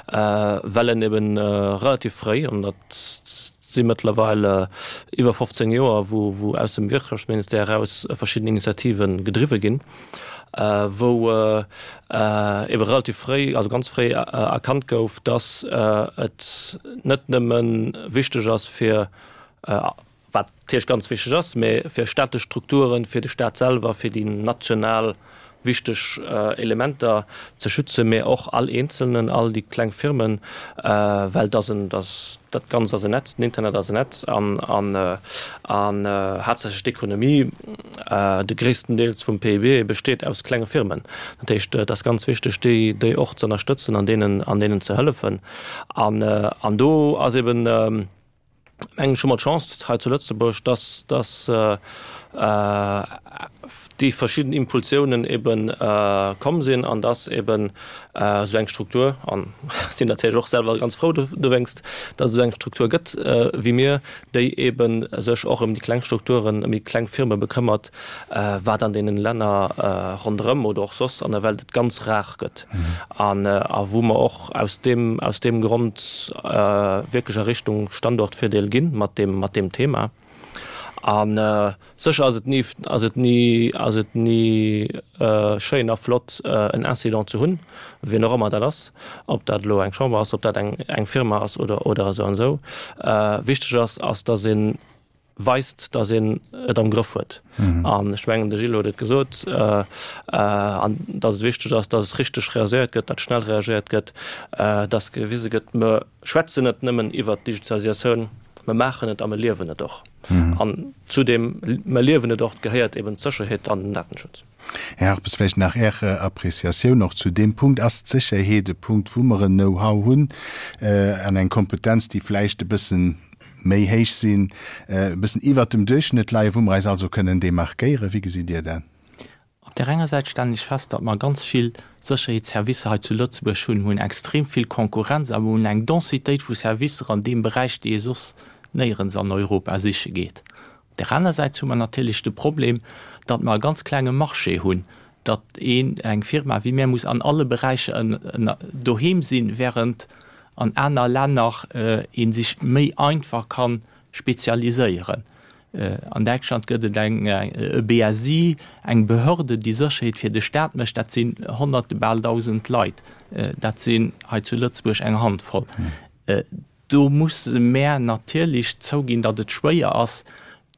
well en eben relativ fréi, an dat si mëttlerweil iwwer 15 Joer, wou aus dem Wirtschaftsministère eraus verschidden Initiative gedriwwe ginn, wou ebe relativ fréi, also ganz fréi erkannt gouf, dass et net nëmme wichteg ass fir, wat natierlech ganz wichteg ass, mä fir staatlech Strukturen, fir de Staat selwer, fir déi national wichteg Elementer ze schützen, mä och all Eenzelnen, all déi kleng Firmen, well dass en, dass dat Ganzt ass en Netz, den Internet ass en Netz an, an, an haaptsächlech d'Ekonomie, de gréissten Deels vum PIB besteet aus klenge Firmen. Dat heescht, et ass ganz wichteg, déi, déi och ze ënnerstëtzen an deenen, an deenen ze hëllefen. An, an do ass eben, mengen ech, hu mer d'Chance hei zu Lëtzebuerg, dass, dass déi verschidden Impulsiounen ebe komm sinn an dass eben esou eng Struktur, an sinn natierlech och selwer ganz frou dowéinst, dass et esou eng Struktur gëtt wéi mir, déi ebe sech och ëm déi kleng Strukturen, ëm déi kleng Firme bekëmmert, wat an deenen Länner ronderëm oder och soss an der Welt et ganz rar gëtt an a wou mer och aus deem, aus deem Grond wierklech a Richtung Standortvirdeel ginn mat deem, mat deem Thema. A sécher ass et ni, ass et ni, ass et ni schéin a flott en Incident ze hunn, wien och ëmmer dat ass, ob dat elo eng Chamber ass, ob dat eng, eng Firma ass oder, oder esou an esou. Wichteg ass, ass datt een weist, datt een et am Grëff huet. An ech mengen, de Gilles huet et gesot, an datt et wichteg ass, datt et richteg reagéiert gëtt, datt schnell reagéiert gëtt, datt gewise gëtt, mer schwätzen net nëmmen iwwert d'Digitalisatioun, mer maachen et a mer liewen et och. An zu deem mer liewen et och gehéiert eben d'Sécherheet an den Datenschutz. Här Harpes, vläicht nach Är Appréciatioun och zu deem Punkt. Ass d'Sécherheet e Punkt, wou mer en Know-how hunn an eng Kompetenz, déi vläicht e bëssen méi héich sinn, e bëssen iwwert dem Duerchschnëtt leien, wou mer eis also kënnen demarkéieren? Wéi gesitt Dir dat? Op där enger Säit stellen ech fest, datt mer ganz vill Sécherheetsservicer hei zu Lëtzebuerg hunn. Mer hunn extrem vill Konkurrenz a mer hunn eng Densitéit vu Servicer an deem Beräich, déi ee soss néierens an Europa siche geet. Op där aner Säit hu mer natierlech de Problem, datt mer e ganz klenge Marché hunn, datt een, eng Firma wéi mär muss an alle Beräicher doheem sinn, während an aner Länner ee sech méi einfach ka spezialiséieren. An Däitschland gëtt et eng, e BSI, eng Behörde, déi Sécherheet fir de Staat mécht. Dat sinn Honnerte, bal 1.000 Leit. Dat sinn hei zu Lëtzebuerg eng Handvoll. Do musse mär natierlech zouginn, datt et schwéier ass.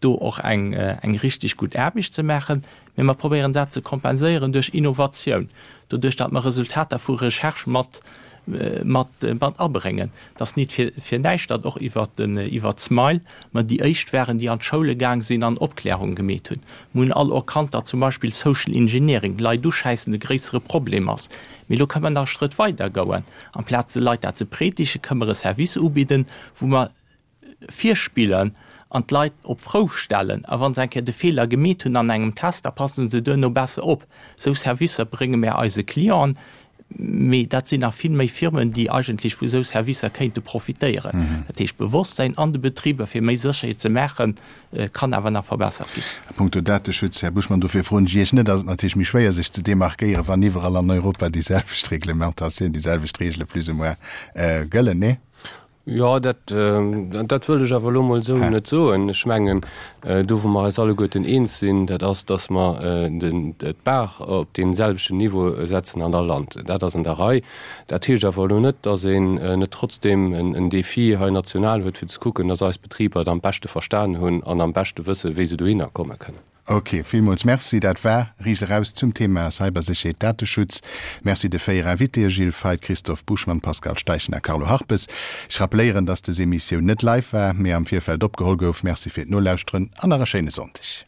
Do och eng eng richtig gutt Aarbecht ze maachen. Mee mer probéieren dat ze kompenséieren duerch Innovatioun, doduerch datt mer Resultater vu Recherche mat mat mat abréngen. Et ass nit fir fir näischt, datt och iwwert den iwwert d'Smile mer déi éischt waren, déi an d'Schoule gaang sinn an Opklärung gemeet hunn. Mer hunn all erkannt, datt zum Beispill Social Engineering, Leit uschäissen, e gréissere Problem ass. Mee elo kënne mer nach e Schrëtt weider goen. Amplaz de Leit dat ze predigen, kënne mer e Service ubidden, wou mer virspillen an d'Leit op d'Prouf stellen. A wa se eng Kéier de Feeler gemeet hunn an engem Test, da passe se duerno besser op. Esou Servicer brénge mär eise Clienten. Mee dat sinn nach vill méi Firmen, déi eigentlech vu esou Servicer kéinte profitéieren. Dat heescht, d'Bewosstsäin an de Betriber, fir méi Sécherheet ze maachen, kann awer nach verbessert ginn. A punkto Dateschutz, Här Buschmann, dofir froen ech Iech net, ass et natierlech méi schwéier, sech ze demarkéieren, wann iwwerall an Europa déi selwecht Reglementatioun, déi selwecht Reegele plus ou moins gëllen, nee? Jo, dat, dat wëll ech awer elo emol esou net soen. Ech mengen, do wou mer eis alleguerten eens sinn, dat ass, datt mer den, d'Bar op dee selwechten Niveau setzen an all Land. Dat ass an der Rei. Dat heescht awer elo net, datt een net trotzdeem en Défi hei national huet, fir ze kucken, datt eis Betriber et am beschte verstan hunn an am beschte wëssen, wéi se dohinner komme kënnen. Ok, villmools Merci. Dat war Riicht eraus zum Thema Cybersécherheet, Dateschutz. Merci de 4 Invitéë Gilles Feith, Christophe Buschmann, Pascal Steichen a Carlo Harpes. Ech rappelléieren, dass des Emissioun net live war, mee am Virfeld opgeholl gouf. Merci fir d'Nolauschteren an nach e schéine Sonndeg.